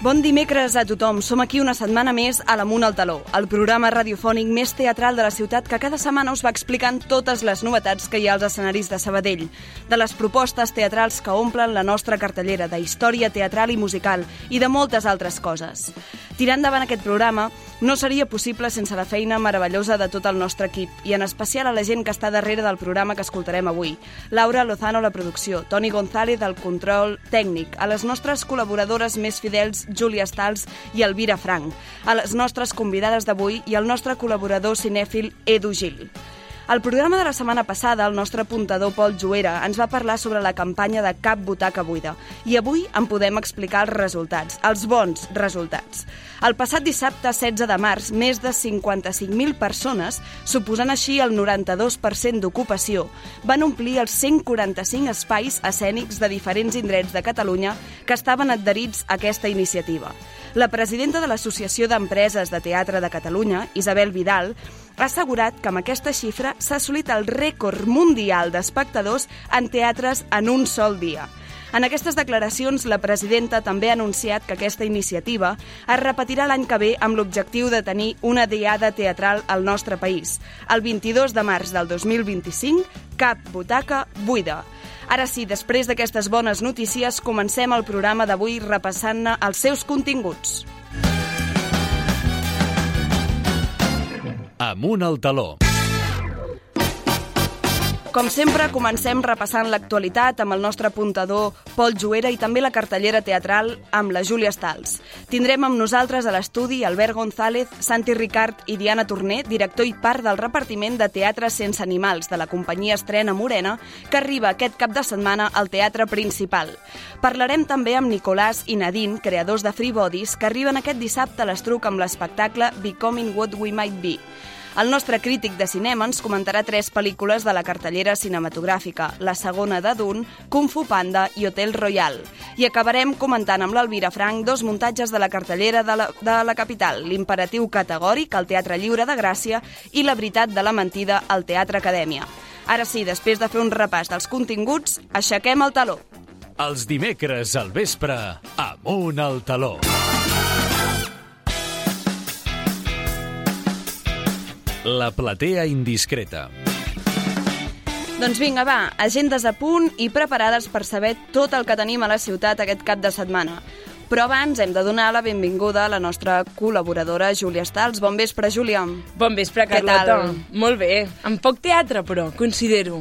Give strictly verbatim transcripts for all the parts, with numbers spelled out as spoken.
Bon dimecres a tothom. Som aquí una setmana més a l'Amunt al Taló, el programa radiofònic més teatral de la ciutat que cada setmana us va explicant totes les novetats que hi ha als escenaris de Sabadell, de les propostes teatrals que omplen la nostra cartellera, de història teatral i musical i de moltes altres coses. Tirar endavant aquest programa no seria possible sense la feina meravellosa de tot el nostre equip i en especial a la gent que està darrere del programa que escoltarem avui. Laura Lozano a la producció, Toni González al control tècnic, a les nostres col·laboradores més fidels Júlia Stals i Elvira Frank, a les nostres convidades d'avui i al nostre col·laborador cinèfil Edu Gil. Al programa de la setmana passada, el nostre apuntador Pol Juera ens va parlar sobre la campanya de Cap Butaca Buida i avui en podem explicar els resultats, els bons resultats. El passat dissabte setze de març, més de cinquanta-cinc mil persones, suposant així el noranta-dos per cent d'ocupació, van omplir els cent quaranta-cinc espais escènics de diferents indrets de Catalunya que estaven adherits a aquesta iniciativa. La presidenta de l'Associació d'Empreses de Teatre de Catalunya, Isabel Vidal, ha assegurat que amb aquesta xifra s'ha assolit el rècord mundial d'espectadors en teatres en un sol dia. En aquestes declaracions, la presidenta també ha anunciat que aquesta iniciativa es repetirà l'any que ve amb l'objectiu de tenir una diada teatral al nostre país. El vint-i-dos de març del dos mil vint-i-cinc, Cap Butaca Buida. Ara sí, després d'aquestes bones notícies, comencem el programa d'avui repassant-ne els seus continguts. Amunt al taló. Com sempre, comencem repassant l'actualitat amb el nostre apuntador Pol Juera i també la cartellera teatral amb la Júlia Stals. Tindrem amb nosaltres a l'estudi Albert González, Santi Ricard i Diana Torner, director i part del repartiment de Teatre Sense Animals de la companyia Estrena Morena, que arriba aquest cap de setmana al Teatre Principal. Parlarem també amb Nicolàs i Nadine, creadors de Free Bodies, que arriben aquest dissabte a l'Estruc amb l'espectacle Becoming What We Might Be. El nostre crític de cinema ens comentarà tres pel·lícules de la cartellera cinematogràfica, la segona de Dune, Kung Fu Panda i Hotel Royal. I acabarem comentant amb l'Elvira Frank dos muntatges de la cartellera de la, de la capital, l'imperatiu categòric al Teatre Lliure de Gràcia i la veritat de la mentida al Teatre Acadèmia. Ara sí, després de fer un repàs dels continguts, aixequem el taló. Els dimecres al vespre, Amunt al taló. La platea indiscreta. Doncs vinga, va, agendes a punt i preparades per saber tot el que tenim a la ciutat aquest cap de setmana. Però abans hem de donar la benvinguda a la nostra col·laboradora Júlia Stals. Bon vespre, Júlia. Bon vespre, Carlota. Molt bé. Amb poc teatre, però, considero.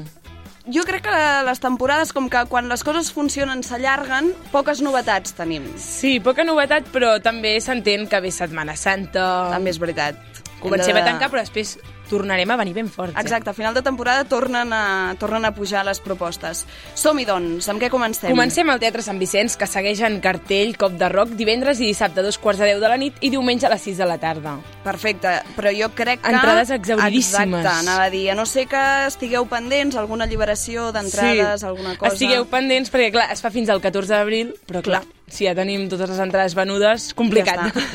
Jo crec que les temporades, com que quan les coses funcionen s'allarguen, poques novetats tenim. Sí, poca novetat, però també s'entén que ve Setmana Santa. També és veritat. Comencem a tancar, però després tornarem a venir ben forts. Exacte, a final de temporada tornen a, tornen a pujar les propostes. Som-hi, doncs. Amb què comencem? Comencem al Teatre Sant Vicenç, que segueix en cartell Cop de Rock divendres i dissabte a dos quarts de deu de la nit i diumenge a les sis de la tarda. Perfecte, però jo crec que... Entrades exhauridíssimes. Exacte, anava a dir. A no sé que estigueu pendents, alguna alliberació d'entrades, sí, alguna cosa... Estigueu pendents, perquè clar, es fa fins al catorze d'abril, però clar, clar, si ja tenim totes les entrades venudes, complicat. Ja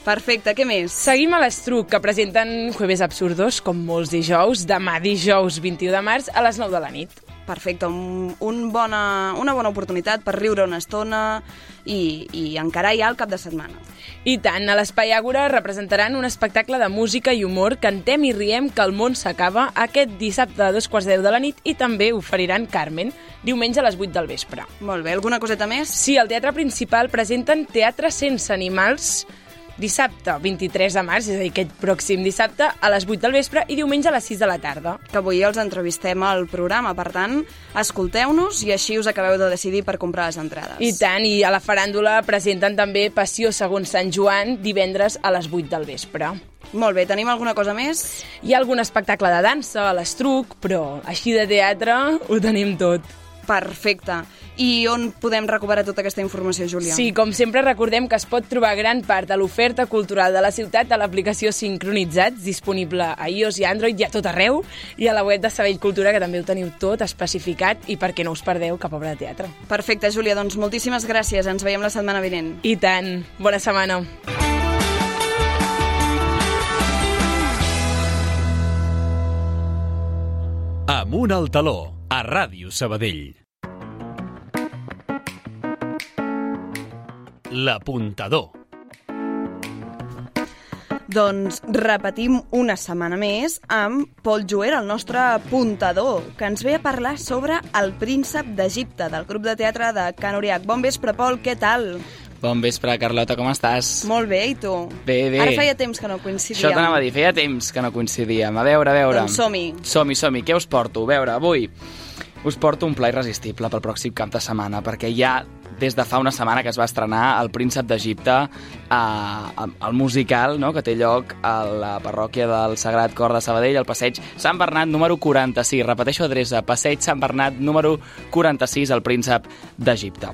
Perfecte, què més? Seguim a l'Estruc, que presenten Jueves Absurdos, com molts dijous, demà dijous vint-i-u de març a les nou de la nit. Perfecte, un, un bona, una bona oportunitat per riure una estona i, i encarar ja el cap de setmana. I tant, a l'Espai Àgora representaran un espectacle de música i humor Cantem i riem que el món s'acaba aquest dissabte a dos quarts de deu de la nit i també oferiran Carmen, diumenge a les vuit del vespre. Molt bé, alguna coseta més? Sí, al Teatre Principal presenten Teatre Sense Animals dissabte vint-i-tres de març, és a dir, aquest pròxim dissabte, a les vuit del vespre i diumenge a les sis de la tarda. Que avui els entrevistem al programa, per tant, escolteu-nos i així us acabeu de decidir per comprar les entrades. I tant, i a la faràndula presenten també Passió segons Sant Joan, divendres a les vuit del vespre. Molt bé, tenim alguna cosa més? Hi ha algun espectacle de dansa a l'Estruc, però així de teatre ho tenim tot. Perfecte. I on podem recuperar tota aquesta informació, Júlia? Sí, com sempre recordem que es pot trobar gran part de l'oferta cultural de la ciutat a l'aplicació Sincronitzats, disponible a iOS i Android i a tot arreu, i a la web de Sabadell Cultura, que també ho teniu tot especificat i perquè no us perdeu cap obra de teatre. Perfecte, Júlia, doncs moltíssimes gràcies. Ens veiem la setmana vinent. I tant. Bona setmana. Amunt al taló, a Ràdio Sabadell. l'apuntador. Doncs repetim una setmana més amb Pol Joer, el nostre apuntador, que ens ve a parlar sobre El príncep d'Egipte, del grup de teatre de Can Uriach. Bon vespre, Pol, què tal? Bon vespre, Carlota, com estàs? Molt bé, i tu? Bé, bé. Ara feia temps que no coincidíem. Això t'anava a dir, feia temps que no coincidíem. A veure, a veure. Doncs som-hi. Som-hi, som-hi. Què us porto? A veure, avui us porto un pla irresistible pel pròxim cap de setmana, perquè ja des de fa una setmana que es va estrenar El príncep d'Egipte, eh, el musical, no?, que té lloc a la parròquia del Sagrat Cor de Sabadell, al passeig Sant Bernat número quaranta-sis. Repeteixo adreça, passeig Sant Bernat número quaranta-sis, El príncep d'Egipte.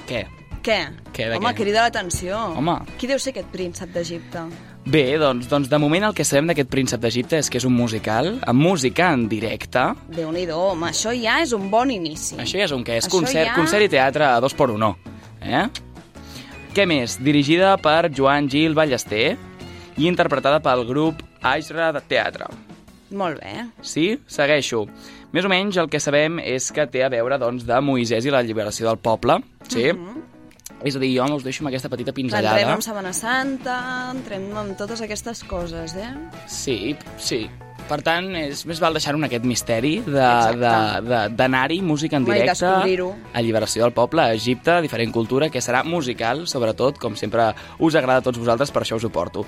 Què? Què? Què, de Home, què? crida l'atenció. Home. Qui deu ser aquest príncep d'Egipte? Bé, doncs, doncs de moment el que sabem d'aquest príncep d'Egipte és que és un musical, amb música en directe. Déu-n'hi-do, home, això ja és un bon inici. Això ja és un què? És Això concert, ja- concert i teatre a dos per uno. Eh? Què més? Dirigida per Joan Gil Ballester i interpretada pel grup Aisra de Teatre. Molt bé. Sí? Segueixo. Més o menys el que sabem és que té a veure, doncs, de Moisès i la alliberació del poble. Sí? És a dir, jo us deixo amb aquesta petita Entrem pinzellada. amb Setmana Santa, entrem amb totes aquestes coses, eh? Sí, sí. Per tant, és més val deixar-ho en aquest misteri de- Exacte. de- de- d'anar-hi, música en Home, i directe, descobrir-ho. alliberació del poble, a Egipte, diferent cultura, que serà musical, sobretot, com sempre us agrada a tots vosaltres, per això us ho porto.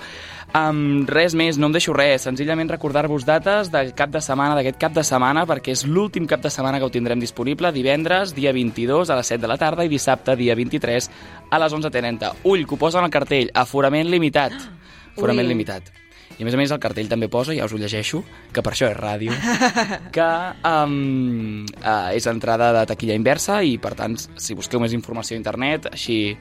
Um, res més, no em deixo res, senzillament recordar-vos dates del cap de setmana, d'aquest cap de setmana, perquè és l'últim cap de setmana que ho tindrem disponible, divendres, dia vint-i-dos, a les set de la tarda, i dissabte, dia vint-i-tres, a les onze trenta. Ull, que ho posa en el cartell, aforament limitat. Aforament Ui. limitat. I a més a més el cartell també posa, ja us ho llegeixo, que per això és ràdio, que um, uh, és entrada de taquilla inversa i per tant, si busqueu més informació a internet, així...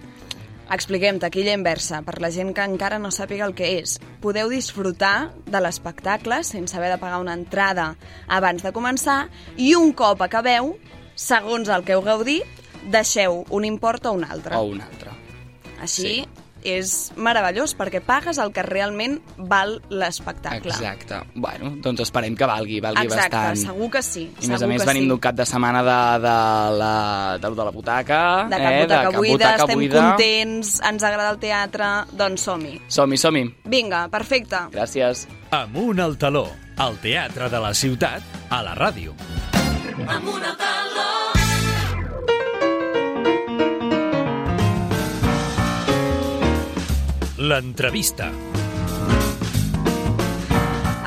Expliquem, taquilla inversa, per la gent que encara no sàpiga el que és. Podeu disfrutar de l'espectacle sense haver de pagar una entrada abans de començar i un cop acabeu, segons el que heu gaudit, deixeu un import o un altre. o un altre. Així sí. és meravellós perquè pagues el que realment val l'espectacle. Exacte. Bueno, doncs esperem que valgui, valgui Exacte, bastant. segur que sí. I a més segur a més que venim sí. d'un cap de setmana de, de, la, de, de la butaca. De cap eh? butaca de cap buida, butaca estem buida. contents, ens agrada el teatre, doncs som-hi. Som-hi, som-hi. Vinga, perfecte. Gràcies. Amunt al taló, al teatre de la ciutat, a la ràdio. Amunt al taló. L'entrevista.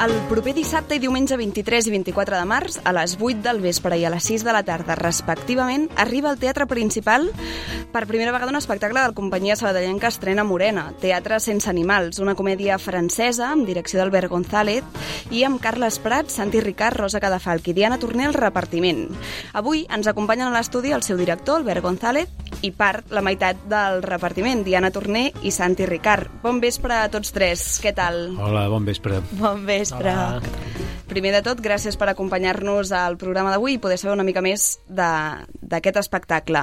El proper dissabte i diumenge vint-i-tres i vint-i-quatre de març, a les vuit del vespre i a les sis de la tarda, respectivament, arriba al Teatre Principal per primera vegada un espectacle de la companyia sabadellenca Estrena Morena, Teatre sense animals, una comèdia francesa amb direcció d'Albert González i amb Carles Prat, Santi Ricard, Rosa Cadafalch i Diana Torner al repartiment. Avui ens acompanyen a l'estudi el seu director, Albert González, i part la meitat del repartiment, Diana Torner i Santi Ricard. Bon vespre a tots tres, què tal? Hola, bon vespre. Bon vespre. Hola. Primer de tot, gràcies per acompanyar-nos al programa d'avui i poder saber una mica més d'aquest espectacle.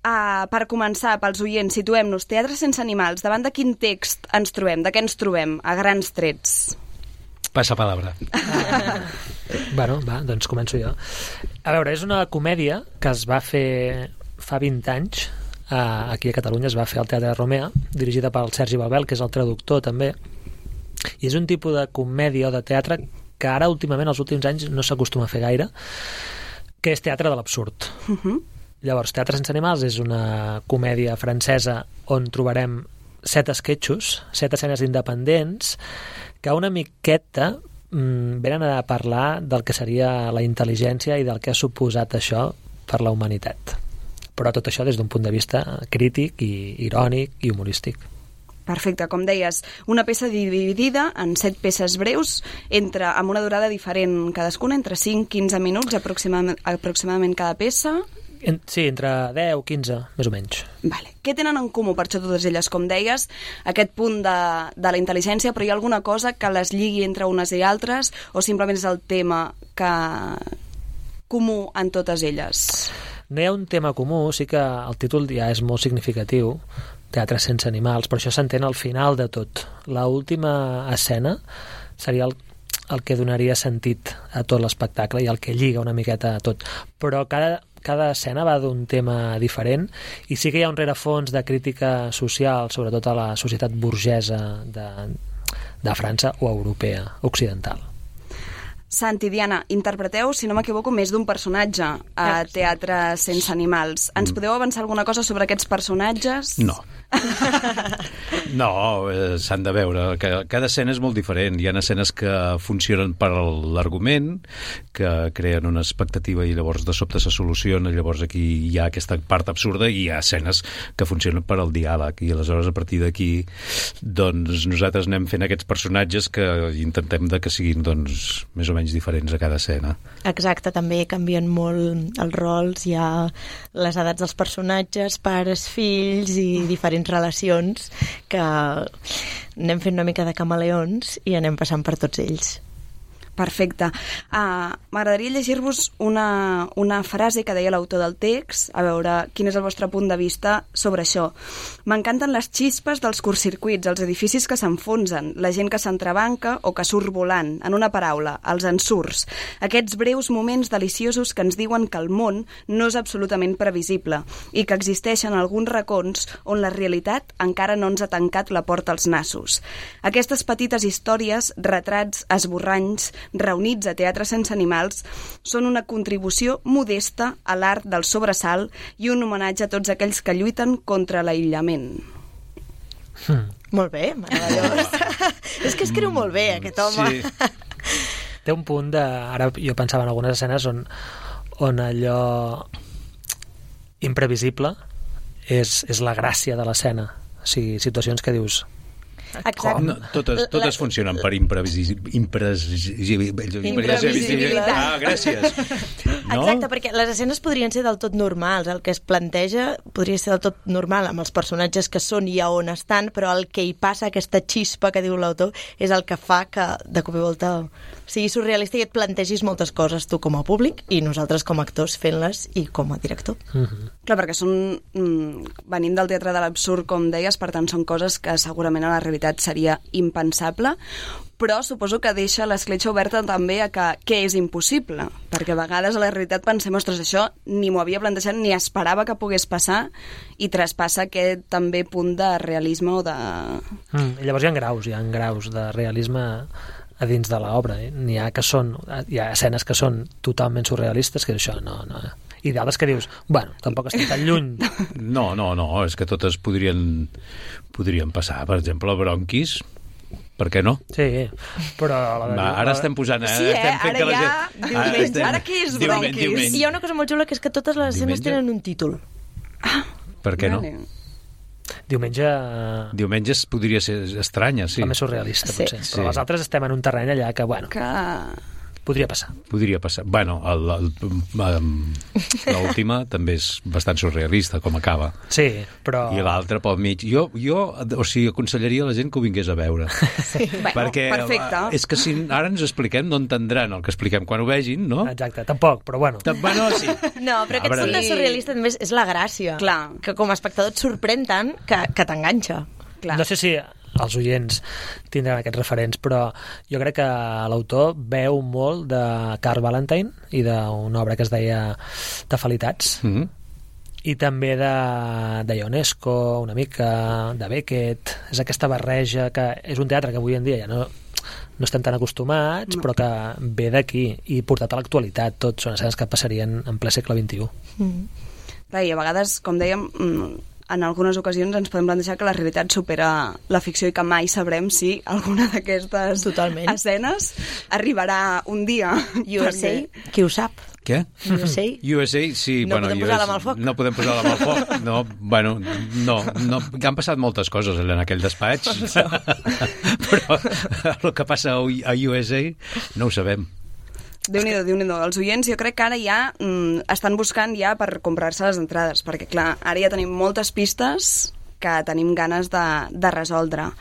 Uh, per començar, pels oients, situem-nos. Teatre sense animals. Davant de quin text ens trobem? De què ens trobem? A grans trets. Passa palabra. Bueno, va, doncs començo jo. A veure, és una comèdia que es va fer fa vint anys, uh, aquí a Catalunya es va fer al Teatre Romea, dirigida pel Sergi Balbel, que és el traductor també, i és un tipus de comèdia o de teatre que ara últimament, els últims anys, no s'acostuma a fer gaire, que és teatre de l'absurd. Uh -huh. Llavors, Teatre sense animals és una comèdia francesa on trobarem set esquetxos, set escenes independents, que una miqueta mmm, venen a parlar del que seria la intel·ligència i del que ha suposat això per la humanitat. Però tot això des d'un punt de vista crític i irònic i humorístic. Perfecte, com deies, una peça dividida en set peces breus, entre, amb una durada diferent cadascuna, entre cinc i quinze minuts aproximadament, aproximadament cada peça. En, sí, entre deu, quinze, més o menys. Vale. Què tenen en comú, per això, totes elles? Com deies, aquest punt de, de la intel·ligència, però hi ha alguna cosa que les lligui entre unes i altres, o simplement és el tema que comú en totes elles? No hi ha un tema comú, sí que el títol ja és molt significatiu, Teatre sense animals, però això s'entén al final de tot. La última escena seria el, el que donaria sentit a tot l'espectacle i el que lliga una miqueta a tot. Però cada, cada escena va d'un tema diferent i sí que hi ha un rerefons de crítica social, sobretot a la societat burgesa de, de França o europea, occidental. Santi, Diana, interpreteu, si no m'equivoco, més d'un personatge a Teatre sense animals. Ens podeu avançar alguna cosa sobre aquests personatges? No. No, eh, s'han de veure. Cada escena és molt diferent. Hi ha escenes que funcionen per l'argument, que creen una expectativa i llavors de sobte se soluciona, llavors aquí hi ha aquesta part absurda, i hi ha escenes que funcionen per al diàleg, i aleshores a partir d'aquí doncs nosaltres anem fent aquests personatges que intentem de que siguin doncs més o menys diferents a cada escena. Exacte, també canvien molt els rols, hi ha les edats dels personatges, pares, fills i diferents relacions que anem fent una mica de camaleons i anem passant per tots ells. Perfecte. Uh, M'agradaria llegir-vos una, una frase que deia l'autor del text, a veure quin és el vostre punt de vista sobre això. M'encanten les xispes dels curtcircuits, els edificis que s'enfonsen, la gent que s'entrebanca o que surt volant, en una paraula, els ensurts. Aquests breus moments deliciosos que ens diuen que el món no és absolutament previsible i que existeixen alguns racons on la realitat encara no ens ha tancat la porta als nassos. Aquestes petites històries, retrats esborranys, reunits a Teatre sense animals, són una contribució modesta a l'art del sobresalt i un homenatge a tots aquells que lluiten contra l'aïllament. Hmm. Molt bé, meravellós. És que escriu molt bé, aquest home. Sí. Té un punt de... Ara jo pensava en algunes escenes on, on allò imprevisible és, és la gràcia de l'escena. O sigui, situacions que dius... Exacte. No, totes, totes la... funcionen per imprevisibilitat. Imprevisibilitat. Ah, gràcies. No? Exacte, perquè les escenes podrien ser del tot normals. El que es planteja podria ser del tot normal amb els personatges que són i a on estan, però el que hi passa, aquesta xispa que diu l'autor, és el que fa que de cop i volta sigui surrealista i et plantegis moltes coses tu com a públic i nosaltres com a actors fent-les i com a director. Mm-hmm. Clar, perquè són... Mm, venim del teatre de l'absurd, com deies, per tant són coses que segurament a la realitat seria impensable, però suposo que deixa l'escletxa oberta també a que què és impossible, perquè a vegades a la realitat pensem, ostres, això ni m'ho havia plantejat ni esperava que pogués passar, i traspassa aquest també punt de realisme o de... Mm, i llavors hi ha graus, hi ha graus de realisme a dins de l'obra. Eh? N'hi ha que són, hi ha escenes que són totalment surrealistes, que això no... no i d'altres que dius, bueno, tampoc estic tan lluny. No, no, no, és que totes podrien, podrien passar. Per exemple, Bronquis, per què no? Sí, però... La de... Va, ara estem posant... Eh? Sí, eh? Estem fent Ara que la ja... gent... Diumenge. estem... Ara què és Diumenge, Bronquis? diumenge. I hi ha una cosa molt xula, que és que totes les escenes Diumenge? tenen un títol. Ah, Per què no? vale. Diumenge... Diumenge podria ser estranya, sí. La més surrealista, Sí. potser. Però Sí. les altres estem en un terreny allà que, bueno, Que... podria passar. Podria passar. Bueno, el, el, el, l'última també és bastant surrealista, com acaba. Sí, però... I l'altra pel mig. Jo, jo, o sigui, aconsellaria a la gent que ho vingués a veure. Sí. Bueno, Perquè perfecte. és que si ara ens expliquem, no entendran el que expliquem quan ho vegin, no? Exacte, tampoc, però bueno. Bueno, sí. No, però aquest veure. punt de surrealista també és, és la gràcia. Clar. Que com a espectador et sorprèn tant que, que t'enganxa. Clar. No sé si els oients tindran aquests referents, però jo crec que l'autor veu molt de Karl Valentine i d'una obra que es deia Tafalitats, Mm-hmm. i també de, de Ionesco, una mica, de Beckett. És aquesta barreja que és un teatre que avui en dia ja no, no estem tan acostumats, no. Però que ve d'aquí i portat a l'actualitat. Tots són escenes que passarien en ple segle vint-i-u. Mm. Clar, i a vegades, com dèiem, en algunes ocasions ens podem plantejar que la realitat supera la ficció i que mai sabrem si alguna d'aquestes Totalment. escenes arribarà un dia. U S A, perquè- qui ho sap? Què? U S A? U S A, sí. No bueno, podem U S A, posar la mà al foc. No podem posar la mà al foc. No, bueno, no, no. Han passat moltes coses en aquell despatx. Però el que passa a U S A no ho sabem. Déu-n'hi-do, Déu-n'hi-do. Els oients jo crec que ara ja mm, estan buscant ja per comprar-se les entrades, perquè clar, ara ja tenim moltes pistes que tenim ganes de, de resoldre.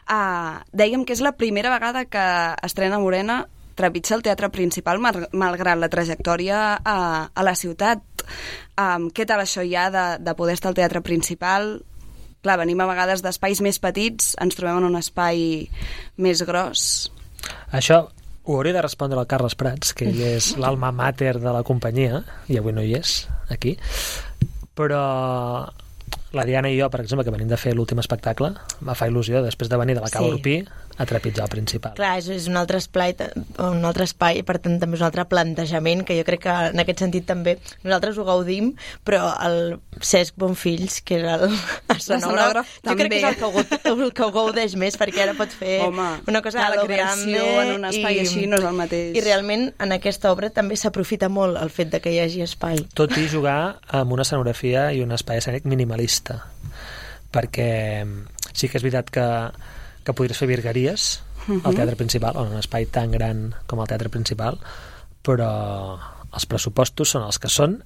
Uh, dèiem que és la primera vegada que Estrena Morena trepitja el teatre principal, mal, malgrat la trajectòria a, a la ciutat. Um, què tal això ja de, de poder estar al teatre principal? Clar, venim a vegades d'espais més petits, ens trobem en un espai més gros. Això Ho hauria de respondre al Carles Prats, que ell és l'alma mater de la companyia, i avui no hi és, aquí. Però la Diana i jo, per exemple, que venim de fer l'últim espectacle, va fer il·lusió, després de venir de la Cala Sí. Urpí, a trepitjar el principal. Clar, és, és un altre espai, un altre espai, per tant també és un altre plantejament, que jo crec que en aquest sentit també nosaltres ho gaudim, però el Cesc Bonfills, que era el escenògraf, jo crec que és el que, ho, gaud- el que ho gaudeix més, perquè ara pot fer Home, una cosa clar, a la lo creació grande en un espai i, així no és el mateix. I realment en aquesta obra també s'aprofita molt el fet de que hi hagi espai. Tot i jugar amb una escenografia i un espai escènic minimalista, perquè sí que és veritat que, que podries fer virgueries al teatre principal, o en un espai tan gran com el teatre principal, però els pressupostos són els que són,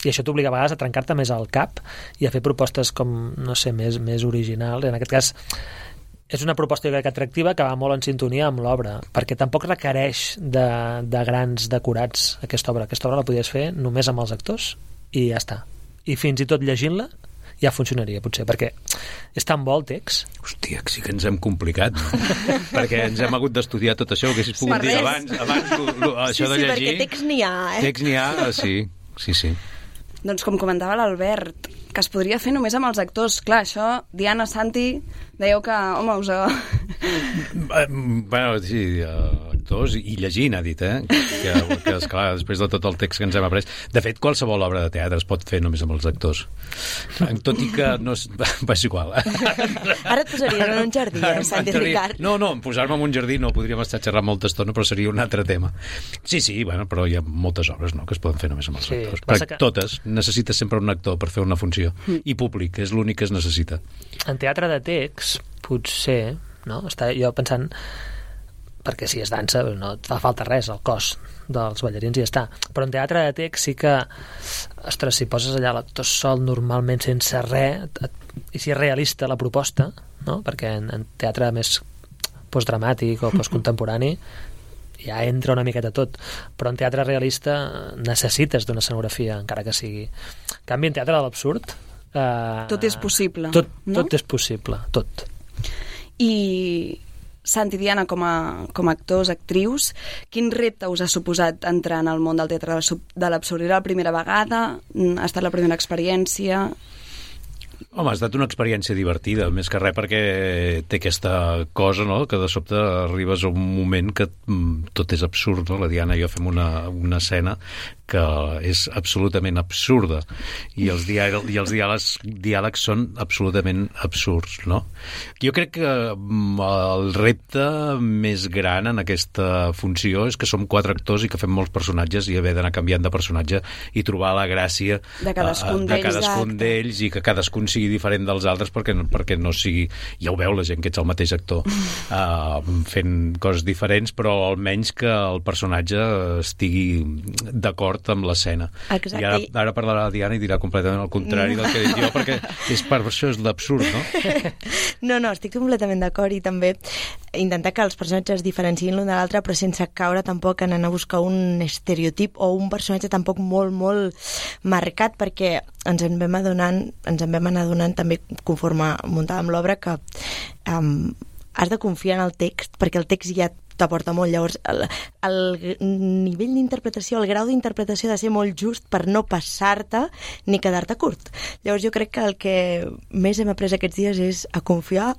i això t'obliga a vegades a trencar-te més al cap i a fer propostes com, no sé, més, més originals. En aquest cas, és una proposta jo crec atractiva que va molt en sintonia amb l'obra, perquè tampoc requereix de, de grans decorats aquesta obra. Aquesta obra la podies fer només amb els actors i ja està. I fins i tot llegint-la ja funcionaria, potser, perquè és tan bo el text. Hòstia, que sí que ens hem complicat, no? Perquè ens hem hagut d'estudiar tot això, que haguessis pogut Per dir res. abans, abans lo, lo, això sí, de sí, llegir. perquè text n'hi ha, eh? Text n'hi ha, sí, sí, sí. Doncs com comentava l'Albert, que es podria fer només amb els actors. Clar, això, Diana, Santi, dèieu que, home, us... Eh, Bueno, sí, uh, actors i llegint, ha dit, eh? Que, que esclar, després de tot el text que ens hem après. De fet, qualsevol obra de teatre es pot fer només amb els actors. Tot i que no és... Va, és igual. Ara et posaries en un jardí, eh, Santi Ricard? No, no, posar-me en un jardí no, podríem estar xerrant molta estona, però seria un altre tema. Sí, sí, bueno, però hi ha moltes obres, no?, que es poden fer només amb els Sí, actors. passa Perquè que- totes, necessites sempre un actor per fer una funció. I públic, és l'únic que es necessita. En teatre de text, potser, no? Està jo pensant, perquè si és dansa no et fa falta res, el cos dels ballarins i ja està. Però en teatre de text sí que, ostres, si poses allà l'actor sol normalment sense res, et, i si és realista la proposta, no? Perquè en, en teatre més postdramàtic o postcontemporani ja entra una miqueta tot, però en teatre realista necessites d'una escenografia, encara que sigui. En canvi, en teatre de l'absurd eh, Tot és possible, tot, no? tot és possible, tot. I Santi, Diana, com a, com a actors, actrius, quin repte us ha suposat entrar en el món del teatre de l'absurd? Era la primera vegada? Ha estat la primera experiència? Home, ha estat una experiència divertida, més que res perquè té aquesta cosa, no?, que de sobte arribes a un moment que mm, tot és absurd, no? La Diana i jo fem una, una escena que és absolutament absurda i els, diàleg, i els diàlegs, diàlegs són absolutament absurds, no? Jo crec que mm, el repte més gran en aquesta funció és que som quatre actors i que fem molts personatges i haver d'anar canviant de personatge i trobar la gràcia De cadascun de d'ells, cadascun exacte. d'ells i que cadascun sigui diferent dels altres perquè, perquè no sigui... Ja ho veu la gent que ets el mateix actor uh, fent coses diferents, però almenys que el personatge estigui d'acord amb l'escena. Exacte. I ara, ara parlarà la Diana i dirà completament el contrari del que dic jo, perquè és per això és l'absurd, no? No, no, estic completament d'acord i també intentar que els personatges es diferenciïn l'un de l'altre però sense caure tampoc en anar a buscar un estereotip o un personatge tampoc molt, molt marcat perquè ens en vam adonant, ens en vam anar adonant també conforme muntàvem l'obra que um, has de confiar en el text perquè el text ja t'aporta molt. Llavors, el, el nivell d'interpretació, el grau d'interpretació ha de ser molt just per no passar-te ni quedar-te curt. Llavors, jo crec que el que més hem après aquests dies és a confiar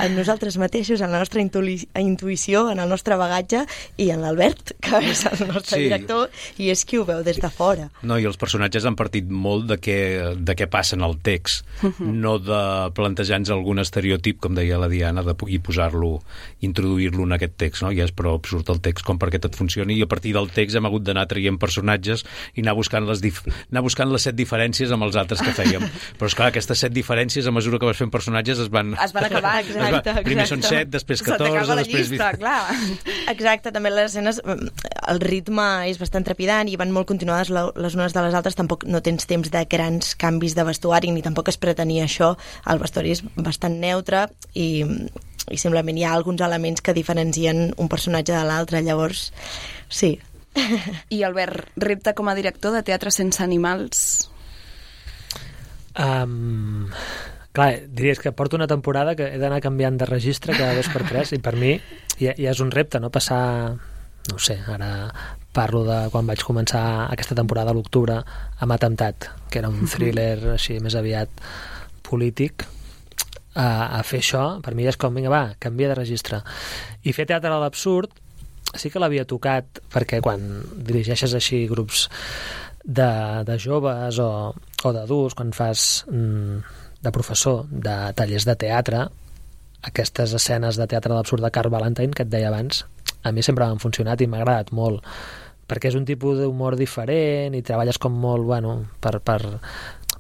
en nosaltres mateixos, en la nostra intuï- intuïció, en el nostre bagatge i en l'Albert, que és el nostre Sí. director, i és qui ho veu des de fora. No, i els personatges han partit molt de què, de què passa en el text, no de plantejar-nos algun estereotip, com deia la Diana, de, i posar-lo, introduir-lo en aquest text, no? Ja és prou absurd el text com perquè tot funcioni, i a partir del text hem hagut d'anar traient personatges i anar buscant les, dif anar buscant les set diferències amb els altres que fèiem. Però, esclar, aquestes set diferències, a mesura que vas fent personatges, es van... Es van acabar, es va, exacte, primer exacte. són set, després Se t'acaba catorze, la després... llista, clar. Exacte, també les escenes, el ritme és bastant trepidant i van molt continuades les unes de les altres, tampoc no tens temps de grans canvis de vestuari ni tampoc es pretenia això, el vestuari és bastant neutre i, i simplement hi ha alguns elements que diferencien un personatge de l'altre, llavors sí. I Albert, repte com a director de Teatre sense animals? Um, clar, diries que porto una temporada que he d'anar canviant de registre cada dos per tres i per mi ja, ja és un repte, no? Passar no ho sé, ara parlo de quan vaig començar aquesta temporada a l'octubre amb Atemptat, que era un thriller així més aviat polític, a, a fer això, per mi és com, vinga, va, canvia de registre. I fer teatre a l'absurd sí que l'havia tocat, perquè quan dirigeixes així grups de, de joves o, o d'adults, quan fas mm, de professor de tallers de teatre, aquestes escenes de teatre a l'absurd de Carl Valentine, que et deia abans, a mi sempre m'han funcionat i m'ha agradat molt, perquè és un tipus d'humor diferent i treballes com molt, bueno, per, per,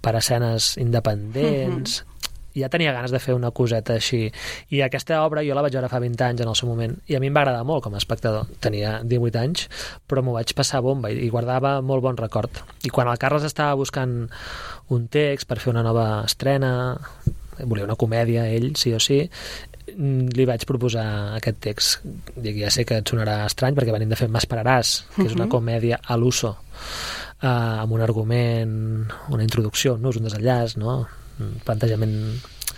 per escenes independents. Mm-hmm. Ja tenia ganes de fer una coseta així. I aquesta obra jo la vaig veure fa vint anys en el seu moment, i a mi em va agradar molt com a espectador. Tenia divuit anys, però m'ho vaig passar bomba i guardava molt bon record. I quan el Carles estava buscant un text per fer una nova estrena, volia una comèdia, ell, sí o sí, li vaig proposar aquest text. Dic, ja sé que et sonarà estrany perquè venim de fer M'esperaràs, que és una comèdia a l'uso, eh, amb un argument, una introducció, no? És un desenllaç, no? Un plantejament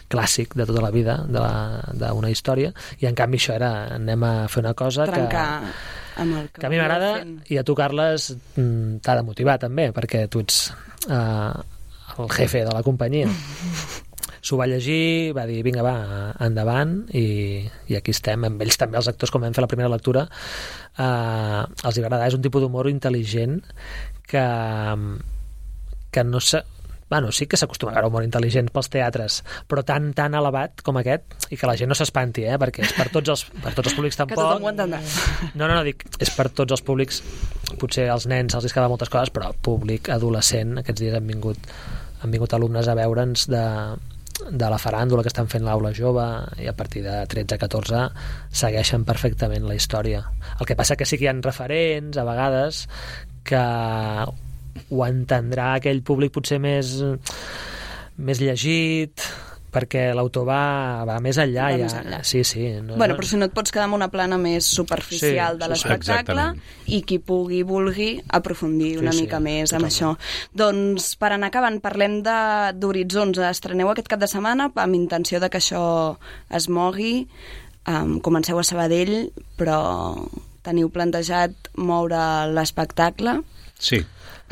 clàssic de tota la vida d'una història, i en canvi això era, anem a fer una cosa trencar que, amb el que, que a mi m'agrada, i a tu, Carles, t'ha de motivar també, perquè tu ets eh, el jefe de la companyia. S'ho va llegir, va dir, vinga, va, endavant, i, i aquí estem. Amb ells també, els actors, com vam fer la primera lectura, eh, els hi va agradar. És un tipus d'humor intel·ligent que, que no sé... Bueno, sí que s'acostuma a veure humor intel·ligent pels teatres, però tan, tan elevat com aquest, i que la gent no s'espanti, eh? Perquè és per tots els, per tots els públics tampoc. Que tothom ho entendrà. No, no, no, dic, és per tots els públics. Potser als nens els escava moltes coses, però públic adolescent, aquests dies han vingut, han vingut alumnes a veure'ns de, de la faràndula que estan fent l'aula jove, i a partir de tretze a catorze segueixen perfectament la història. El que passa que sí que hi ha referents, a vegades, que ho entendrà aquell públic potser més, més llegit, perquè l'autor va, va més enllà. Va ja. Més enllà. Sí, sí. No, bueno, però si no et pots quedar amb una plana més superficial sí, de l'espectacle, i qui pugui, vulgui aprofundir una sí, mica sí, més totalment. Amb això. Doncs, per anar acabant, parlem d'Horitzons. Estreneu aquest cap de setmana amb intenció de que això es mogui. Um, comenceu a Sabadell, però teniu plantejat moure l'espectacle? Sí.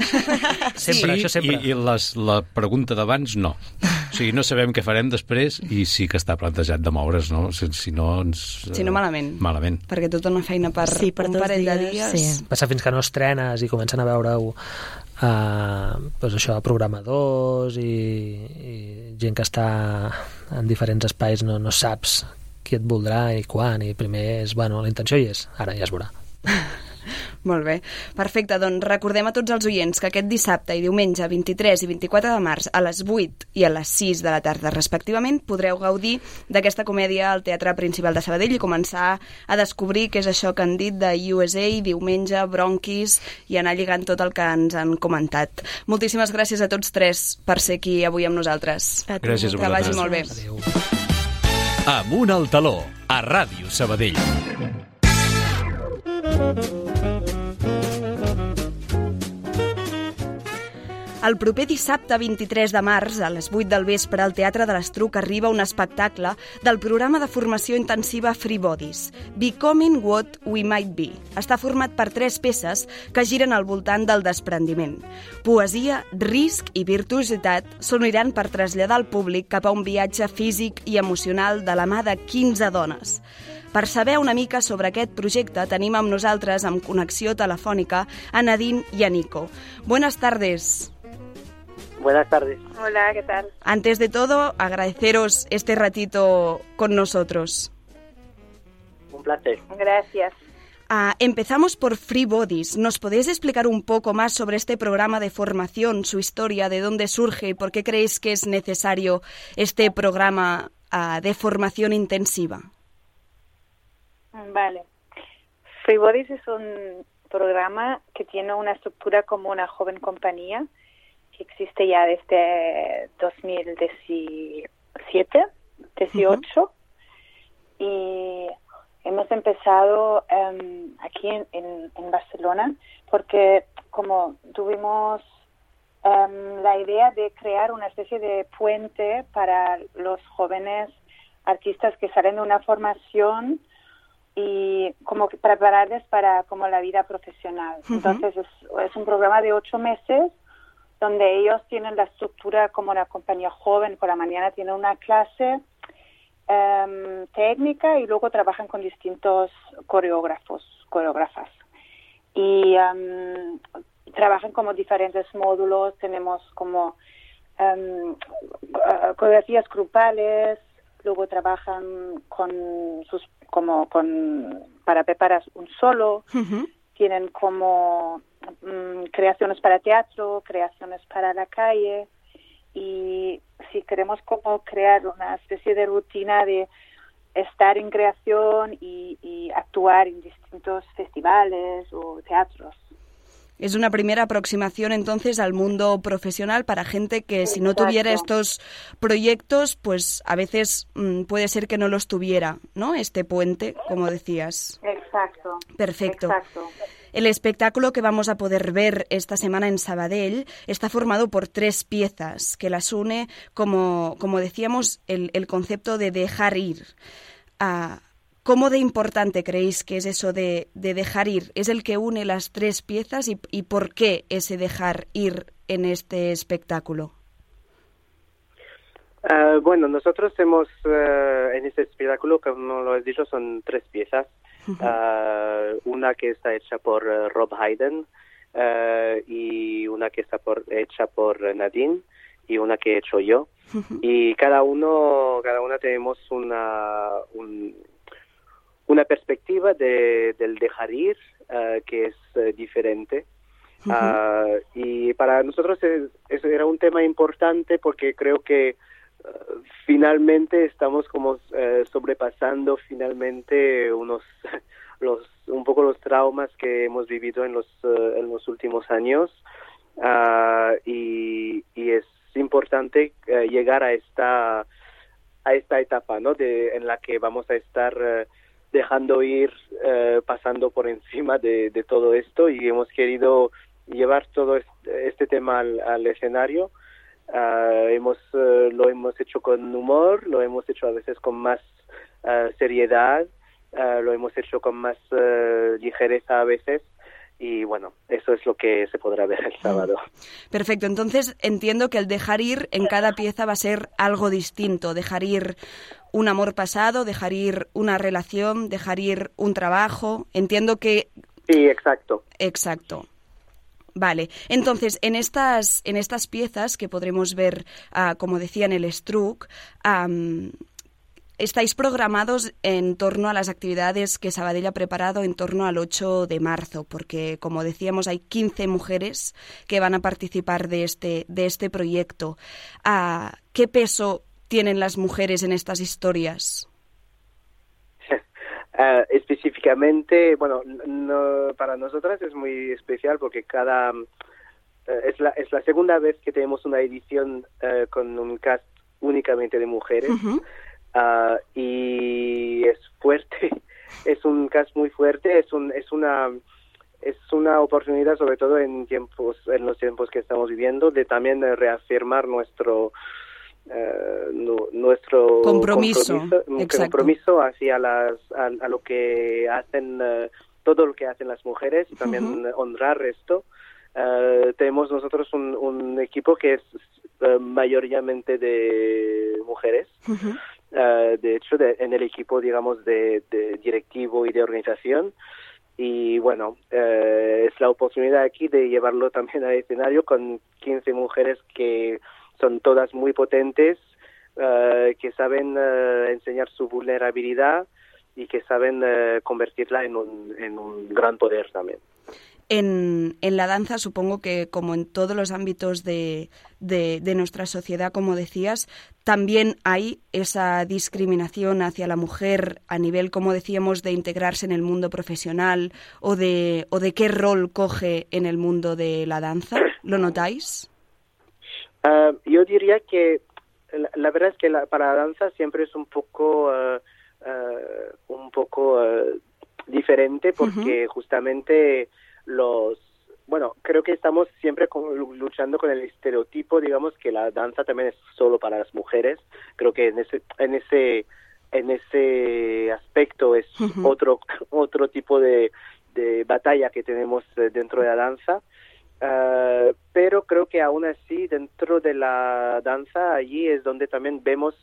Sempre, sí, això sempre. I, i les, la pregunta d'abans, no. O sigui, no sabem què farem després, i sí que està plantejat de moure's, no? Si, si no, ens... Si no, malament. Malament. Perquè tota una feina per, sí, per un parell dies, de dies... Sí. Passa fins que no estrenes i comencen a veure-ho uh, doncs això, programadors i, i gent que està en diferents espais, no, no saps qui et voldrà i quan, i primer és, bueno, la intenció hi és, ara ja es veurà. Molt bé, perfecte, doncs recordem a tots els oients que aquest dissabte i diumenge vint-i-tres i vint-i-quatre de març a les vuit i a les sis de la tarda respectivament podreu gaudir d'aquesta comèdia al Teatre Principal de Sabadell i començar a descobrir què és això que han dit de U S A, diumenge, bronquis, i anar lligant tot el que ens han comentat. Moltíssimes gràcies a tots tres per ser aquí avui amb nosaltres. A tu. Gràcies a vosaltres. Que vagi molt bé. Adéu. Amunt al taló, a Ràdio Sabadell. El proper dissabte vint-i-tres de març, a les vuit del vespre, al Teatre de l'Estruc arriba un espectacle del programa de formació intensiva Free Bodies, Becoming What We Might Be. Està format per tres peces que giren al voltant del desprendiment. Poesia, risc i virtuositat s'uniran per traslladar el públic cap a un viatge físic i emocional de la mà de quinze dones. Per saber una mica sobre aquest projecte tenim amb nosaltres, amb connexió telefònica, a Nadine y a Nico. Buenas tardes. Buenas tardes. Hola, ¿qué tal? Antes de todo, agradeceros este ratito con nosotros. Un placer. Gracias. Uh, empezamos por Free Bodies. ¿Nos podéis explicar un poco más sobre este programa de formación, su historia, de dónde surge y por qué creéis que es necesario este programa uh, de formación intensiva? Vale. Free Bodies es un programa que tiene una estructura como una joven compañía que existe ya desde dos mil diecisiete, dieciocho, uh-huh. Y hemos empezado um, aquí en, en, en Barcelona porque como tuvimos um, la idea de crear una especie de puente para los jóvenes artistas que salen de una formación y como que prepararles para como la vida profesional. Uh-huh. Entonces es, es un programa de ocho meses donde ellos tienen la estructura como una compañía joven. Por la mañana tienen una clase um, técnica y luego trabajan con distintos coreógrafos, coreógrafas. Y um, trabajan como diferentes módulos. Tenemos como um, coreografías grupales, luego trabajan con sus como con para preparar un solo. Uh-huh. Tienen como um, creaciones para teatro, creaciones para la calle, y si queremos como crear una especie de rutina de estar en creación y, y actuar en distintos festivales o teatros. Es una primera aproximación entonces al mundo profesional para gente que si no tuviera estos proyectos, pues a veces mmm, puede ser que no los tuviera, ¿no? Este puente, como decías. Exacto. Perfecto. Exacto. El espectáculo que vamos a poder ver esta semana en Sabadell está formado por tres piezas que las une, como, como decíamos, el, el concepto de dejar ir. Uh, ¿Cómo de importante creéis que es eso de, de dejar ir? ¿Es el que une las tres piezas y, y por qué ese dejar ir en este espectáculo? Uh, bueno, nosotros hemos, uh, en este espectáculo, como lo has dicho, son tres piezas. Uh-huh. Uh, una que está hecha por uh, Rob Hayden, uh, y una que está por, hecha por Nadine, y una que he hecho yo. Uh-huh. Y cada uno, cada una tenemos una... Un, una perspectiva de, del dejar ir uh, que es uh, diferente. Uh-huh. Uh, y para nosotros es, es, era un tema importante porque creo que uh, finalmente estamos como uh, sobrepasando finalmente unos los un poco los traumas que hemos vivido en los uh, en los últimos años, uh, y, y es importante uh, llegar a esta a esta etapa, ¿no? De en la que vamos a estar uh, dejando ir, eh, pasando por encima de, de todo esto, y hemos querido llevar todo este, este tema al, al escenario. Uh, hemos uh, lo hemos hecho con humor, lo hemos hecho a veces con más uh, seriedad, uh, lo hemos hecho con más uh, ligereza a veces, y bueno, eso es lo que se podrá ver el sábado. Perfecto, entonces entiendo que el dejar ir en cada pieza va a ser algo distinto, dejar ir un amor pasado, dejar ir una relación, dejar ir un trabajo. Entiendo que... Sí, exacto. Exacto. Vale, entonces en estas en estas piezas que podremos ver, uh, como decía, en el Struc, um, estáis programados en torno a las actividades que Sabadell ha preparado en torno al ocho de marzo, porque, como decíamos, hay quince mujeres que van a participar de este de este proyecto. Uh, ¿Qué peso tienen las mujeres en estas historias? Uh, específicamente, bueno, no, para nosotras es muy especial porque cada uh, es la es la segunda vez que tenemos una edición uh, con un cast únicamente de mujeres. Uh-huh. Uh, y es fuerte, es un cast muy fuerte, es un es una es una oportunidad, sobre todo en tiempos en los tiempos que estamos viviendo, de también uh, reafirmar nuestro Uh, no, nuestro compromiso, compromiso, compromiso hacia las a, a lo que hacen, uh, todo lo que hacen las mujeres, y también uh-huh. honrar esto. Uh, tenemos nosotros un, un equipo que es uh, mayoritariamente de mujeres. Uh-huh. Uh, de hecho, de, en el equipo, digamos, de, de directivo y de organización. Y bueno, uh, es la oportunidad aquí de llevarlo también al escenario con quince mujeres que son todas muy potentes, uh, que saben uh, enseñar su vulnerabilidad y que saben uh, convertirla en un, en un gran poder también. En, en la danza, supongo que como en todos los ámbitos de, de, de nuestra sociedad, como decías, también hay esa discriminación hacia la mujer a nivel, como decíamos, de integrarse en el mundo profesional o de, o de qué rol coge en el mundo de la danza. ¿Lo notáis? Uh, yo diría que la, la verdad es que la, para la danza siempre es un poco uh, uh, un poco uh, diferente porque uh-huh. justamente los bueno creo que estamos siempre con, luchando con el estereotipo, digamos, que la danza también es solo para las mujeres. Creo que en ese en ese en ese aspecto es Ujú. otro otro tipo de, de batalla que tenemos eh, dentro de la danza. Uh, pero creo que aún así dentro de la danza allí es donde también vemos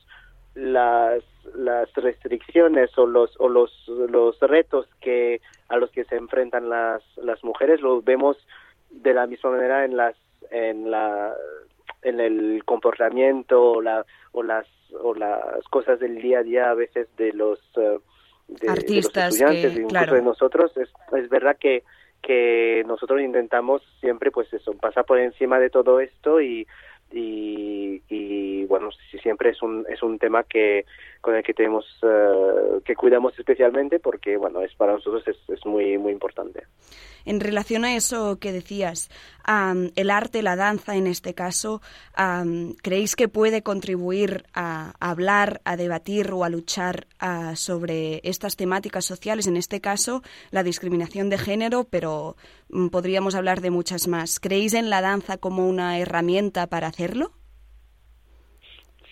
las las restricciones o los o los los retos que a los que se enfrentan las las mujeres. Los vemos de la misma manera en las en la en el comportamiento o la o las o las cosas del día a día a veces de los uh, de, artistas, de los estudiantes, que, incluso claro. de nosotros. Es, es verdad que que nosotros intentamos siempre, pues eso, pasar por encima de todo esto y y, y bueno, sí, siempre es un es un tema que con el que tenemos uh, que cuidamos especialmente porque bueno, es para nosotros es, es muy muy importante. En relación a eso que decías, um, el arte, la danza en este caso, um, ¿creéis que puede contribuir a, a hablar, a debatir o a luchar uh, sobre estas temáticas sociales? En este caso, la discriminación de género, pero um, podríamos hablar de muchas más. ¿Creéis en la danza como una herramienta para hacerlo?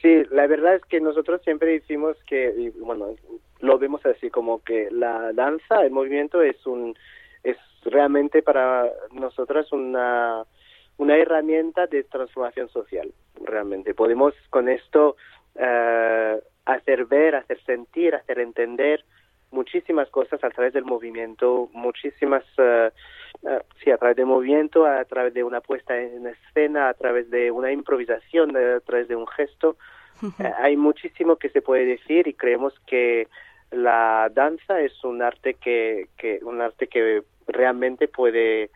Sí, la verdad es que nosotros siempre decimos que, y bueno, lo vemos así como que la danza, el movimiento es un es realmente para nosotras una una herramienta de transformación social. Realmente podemos con esto uh, hacer ver, hacer sentir, hacer entender muchísimas cosas a través del movimiento, muchísimas uh, uh, sí, a través del movimiento, a través de una puesta en escena, a través de una improvisación, a través de un gesto. Uh, hay muchísimo que se puede decir y creemos que la danza es un arte que, que un arte que realmente puede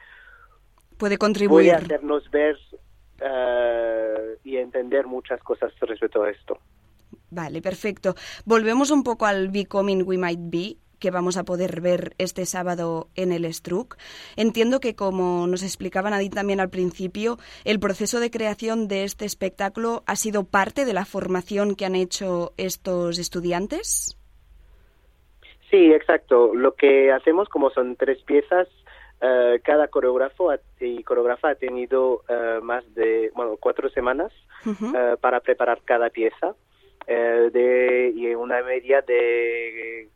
puede contribuir, puede hacernos ver uh, y entender muchas cosas respecto a esto. Vale, perfecto. Volvemos un poco al Becoming We Might Be, que vamos a poder ver este sábado en el Struc. Entiendo que, como nos explicaba Nadine también al principio, el proceso de creación de este espectáculo ha sido parte de la formación que han hecho estos estudiantes. Sí, exacto. Lo que hacemos, como son tres piezas, uh, cada coreógrafo y coreógrafa ha tenido uh, más de, bueno, cuatro semanas uh-huh. uh, para preparar cada pieza uh, de y una media de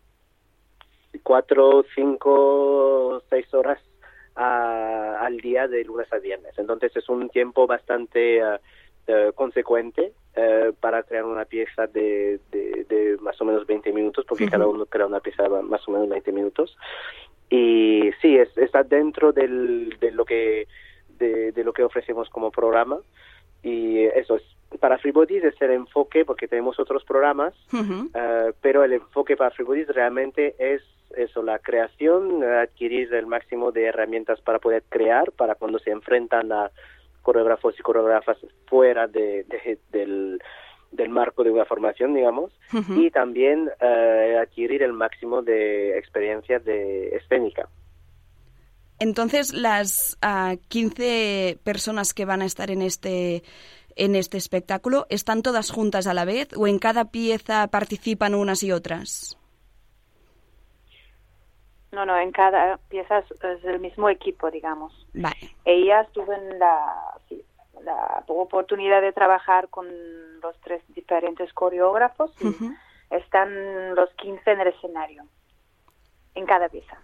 cuatro, cinco, seis horas a, al día de lunes a viernes. Entonces es un tiempo bastante uh, uh, consecuente uh, para crear una pieza de, de, de más o menos veinte minutos, porque uh-huh. cada uno crea una pieza de más o menos veinte minutos. Y sí, es, está dentro del, de lo que de, de lo que ofrecemos como programa. Y eso es para Free Bodies es el enfoque, porque tenemos otros programas, uh-huh. uh, pero el enfoque para Free Bodies realmente es eso, la creación, adquirir el máximo de herramientas para poder crear, para cuando se enfrentan a coreógrafos y coreógrafas fuera de, de, del, del marco de una formación, digamos, uh-huh. y también uh, adquirir el máximo de experiencia de escénica. Entonces, las uh, quince personas que van a estar en este en este espectáculo, ¿están todas juntas a la vez o en cada pieza participan unas y otras? No, no, en cada pieza es, es el mismo equipo, digamos. Vale. Ellas tuvieron la, sí, la oportunidad de trabajar con los tres diferentes coreógrafos y uh-huh. están los quince en el escenario, en cada pieza.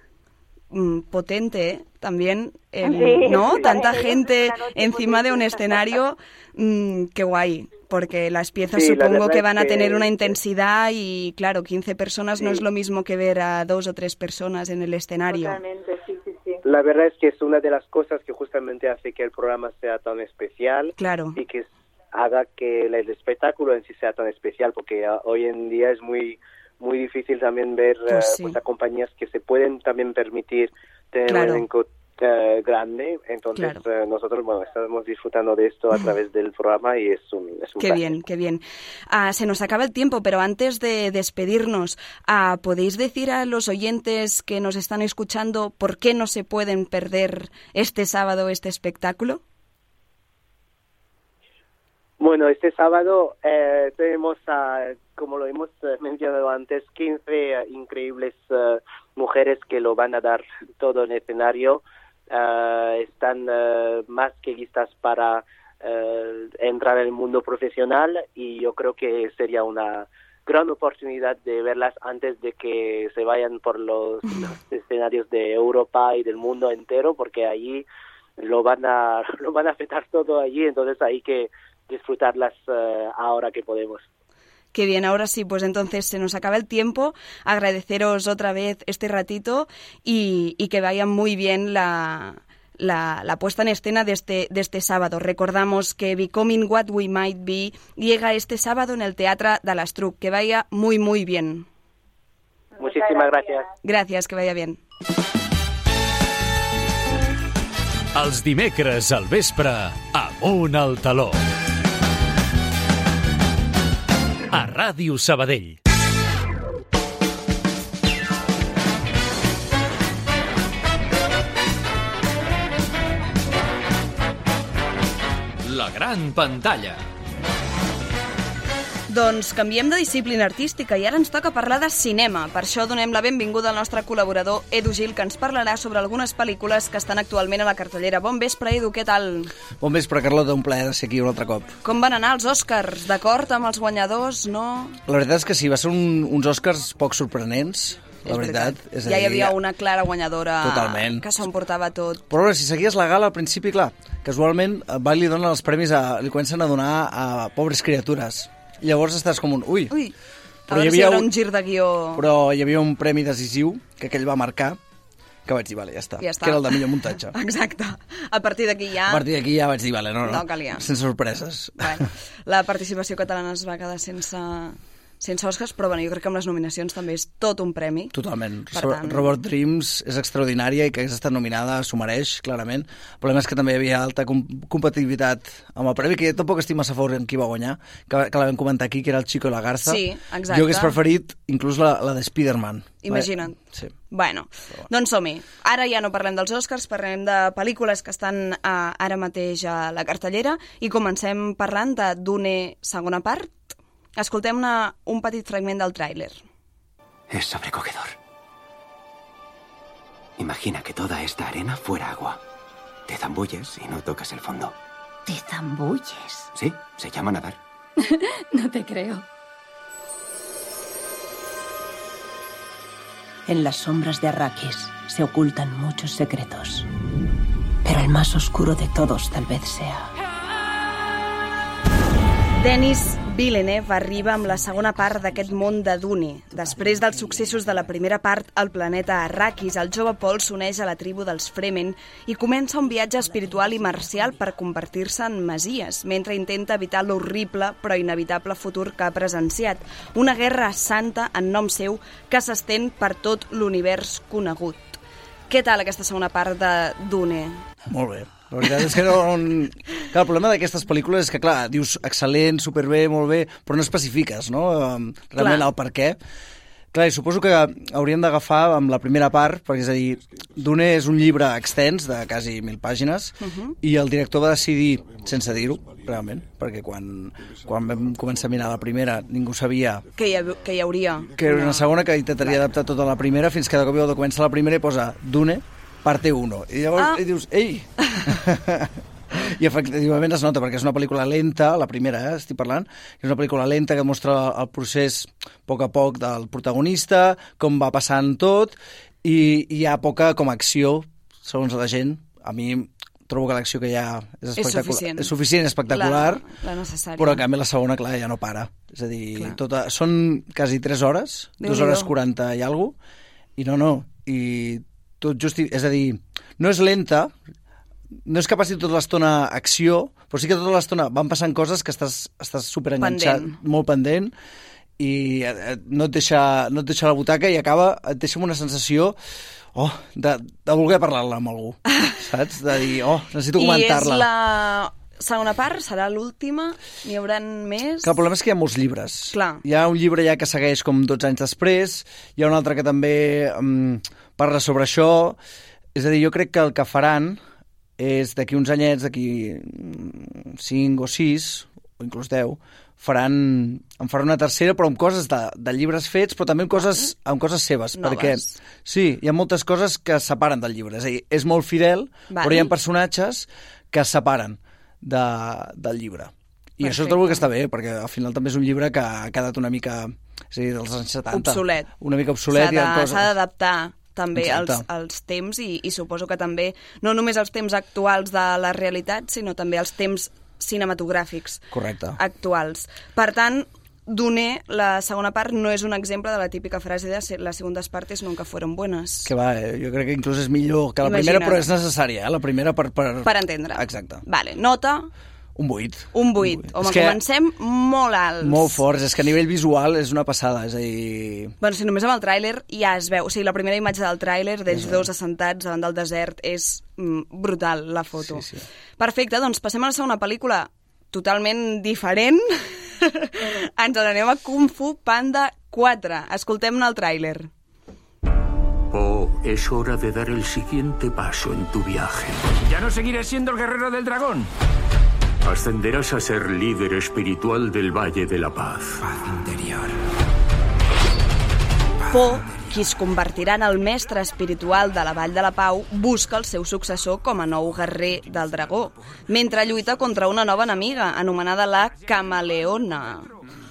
Mm, potente, ¿eh? También, eh, sí, ¿no? Sí, Tanta sí, gente encima de un escenario, mm, qué guay, porque las piezas sí, supongo que van a que... tener una intensidad y, claro, quince personas sí. no es lo mismo que ver a dos o tres personas en el escenario. Totalmente, sí, sí, sí. La verdad es que es una de las cosas que justamente hace que el programa sea tan especial claro. y que haga que el espectáculo en sí sea tan especial, porque uh, hoy en día es muy muy difícil también ver uh, pues sí. pues, a compañías que se pueden también permitir tener claro. un elenco uh, grande. Entonces claro. uh, nosotros bueno estamos disfrutando de esto a través del programa y es un, es un Qué placer. bien, qué bien. Uh, se nos acaba el tiempo, pero antes de despedirnos, uh, ¿podéis decir a los oyentes que nos están escuchando por qué no se pueden perder este sábado este espectáculo? Bueno, este sábado eh, tenemos, uh, como lo hemos uh, mencionado antes, quince uh, increíbles uh, mujeres que lo van a dar todo en el escenario. Uh, están uh, más que listas para uh, entrar en el mundo profesional y yo creo que sería una gran oportunidad de verlas antes de que se vayan por los, los escenarios de Europa y del mundo entero, porque allí lo van a lo van a afectar todo allí, entonces hay que disfrutarlas uh, ahora que podemos. Qué bien, ahora sí, pues entonces se nos acaba el tiempo. Agradeceros otra vez este ratito y, y que vaya muy bien la, la, la puesta en escena de este, de este sábado. Recordamos que Becoming What We Might Be llega este sábado en el Teatre de l'Estruc. Que vaya muy, muy bien. Muchísimas gracias. Gracias, que vaya bien. Els dimecres al vespre, Amunt al taló. A Ràdio Sabadell. La gran pantalla. Doncs canviem de disciplina artística i ara ens toca parlar de cinema. Per això donem la benvinguda al nostre col·laborador Edu Gil, que ens parlarà sobre algunes pel·lícules que estan actualment a la cartellera. Bon vespre, Edu, què tal? Bon vespre, Carlota, un plaer ser aquí un altre cop. Com van anar els Oscars? D'acord amb els guanyadors, no? La veritat és que sí, va ser un, uns Oscars poc sorprenents, la és veritat. veritat. És ja dir, hi havia una clara guanyadora. Totalment. Que s'ho emportava tot. Però bueno, si seguies la gala, al principi, clar, casualment, va li donen els premis, a, li comencen a donar a pobres criatures. Llavors estàs com un... Ui! Ui, a però veure hi havia si hi haurà un, un gir de guió... Però hi havia un premi decisiu que aquell va marcar, que vaig dir, vale, ja està. Ja està. Que era el de millor muntatge. Exacte. A partir d'aquí ja... A partir d'aquí ja vaig dir, vale, no, no, no calia. Sense sorpreses. Bueno, la participació catalana es va quedar sense... sense Oscars, però bueno, jo crec que amb les nominacions també és tot un premi. Totalment. Per Sobre, tant... Robot Dreams és extraordinària i que hagués estat nominada s'ho mereix, clarament. El problema és que també hi havia alta com competitivitat amb el premi, que jo tampoc estic massa a favor en qui va guanyar, que, que la vam comentar aquí, que era el Chico i la Garza. Sí, exacte. Jo hagués preferit inclús la, la de Spider-Man. Imagina't. Sí. Bueno, bueno, doncs som-hi. Ara ja no parlem dels Oscars, parlem de pel·lícules que estan uh, ara mateix a la cartellera i comencem parlant de Dune segona part. Escoltem una, un petit fragment del tràiler. Es sobrecogedor. Imagina que toda esta arena fuera agua. Te zambulles y no tocas el fondo. ¿Te zambulles? Sí, se llama nadar. No te creo. En las sombras de Arrakis se ocultan muchos secretos. Pero el más oscuro de todos tal vez sea... Denis Villeneuve arriba amb la segona part d'aquest món de Dune. Després dels successos de la primera part al planeta Arrakis, el jove Paul s'uneix a la tribu dels Fremen i comença un viatge espiritual i marcial per convertir-se en masies, mentre intenta evitar l'horrible però inevitable futur que ha presenciat. Una guerra santa en nom seu que s'estén per tot l'univers conegut. Què tal aquesta segona part de Dune? Molt bé. La veritat és que no... Clar, el problema d'aquestes pel·lícules és que, clar, dius excel·lent, superbé, molt bé, però no especifiques, no? Realment el per què. Clar, i suposo que hauríem d'agafar amb la primera part, perquè és a dir, Dune és un llibre extens de quasi mil pàgines uh-huh. i el director va decidir, sense dir-ho, realment, perquè quan, quan vam començar a mirar la primera ningú sabia... Que hi, ha, que hi hauria. Que era una segona que intentaria adaptar tota la primera fins que de cop i volta comença la primera i posa Dune, parte uno. I llavors ah. i dius, ei! I efectivament es nota, perquè és una pel·lícula lenta, la primera, eh, estic parlant, és una pel·lícula lenta que mostra el procés a poc a poc del protagonista, com va passant tot, i hi ha poca com acció, segons la gent. A mi trobo que l'acció que hi ha és espectacular. És suficient. És suficient, espectacular, la, la necessària. Però en canvi la segona, clar, ja no para. És a dir, tota, són quasi tres hores, Déu dues hores quaranta i alguna cosa, i no, no, i tot just, és a dir, no és lenta, no és que passi tota l'estona acció, però sí que tota l'estona van passant coses que estàs, estàs superenganxat, pendent. molt pendent, i no et, deixa, no et deixa la butaca i acaba, et deixa amb una sensació oh, de, de voler parlar-la amb algú, saps? De dir, oh, necessito comentar-la. I és la segona part, serà l'última? N'hi haurà més? Que el problema és que hi ha molts llibres. Clar. Hi ha un llibre ja que segueix com dotze anys després, hi ha un altre que també um, parla sobre això. És a dir, jo crec que el que faran és d'aquí uns anyets, d'aquí cinc o sis, o inclús deu, faran, en faran una tercera, però amb coses de, de llibres fets, però també amb coses, amb coses seves. Noves. Perquè, sí, hi ha moltes coses que es separen del llibre. És a dir, és molt fidel, vale. Però hi ha personatges que es separen de, del llibre. I això trobo que està bé, perquè al final també és un llibre que ha quedat una mica, és a dir, dels anys setanta. Obsolet. Una mica obsolet. S'ha d'adaptar també als, als temps i, i suposo que també, no només als temps actuals de la realitat, sinó també als temps cinematogràfics Correcte. actuals. Per tant, Dune, la segona part, no és un exemple de la típica frase de les segundes partes nunca fueron buenas. Que va, eh? Jo crec que inclús és millor que la Imagina't. primera, però és necessària, eh? La primera per... Per, per entendre. Exacte. Vale, nota... Un vuit. Un vuit. Home, que comencem molt alts. Molt forts. És que a nivell visual és una passada, és a dir... Bueno, si només amb el tràiler ja es veu. O sigui, la primera imatge del tràiler d'ells dos assentats davant del desert és mm, brutal, la foto. Sí, sí. Perfecte, doncs passem a la segona pel·lícula totalment diferent. Ens n'anem a Kung Fu Panda quatre. Escoltem-ne el tràiler. Oh, es hora de dar el siguiente paso en tu viaje. Ya no seguiré siendo el guerrero del dragón. Ascenderás a ser líder espiritual del Valle de la Paz. Paz interior. Po, qui es convertirà en el mestre espiritual de la Vall de la Pau, busca el seu successor com a nou guerrer del dragó, mentre lluita contra una nova enemiga, anomenada la Camaleona.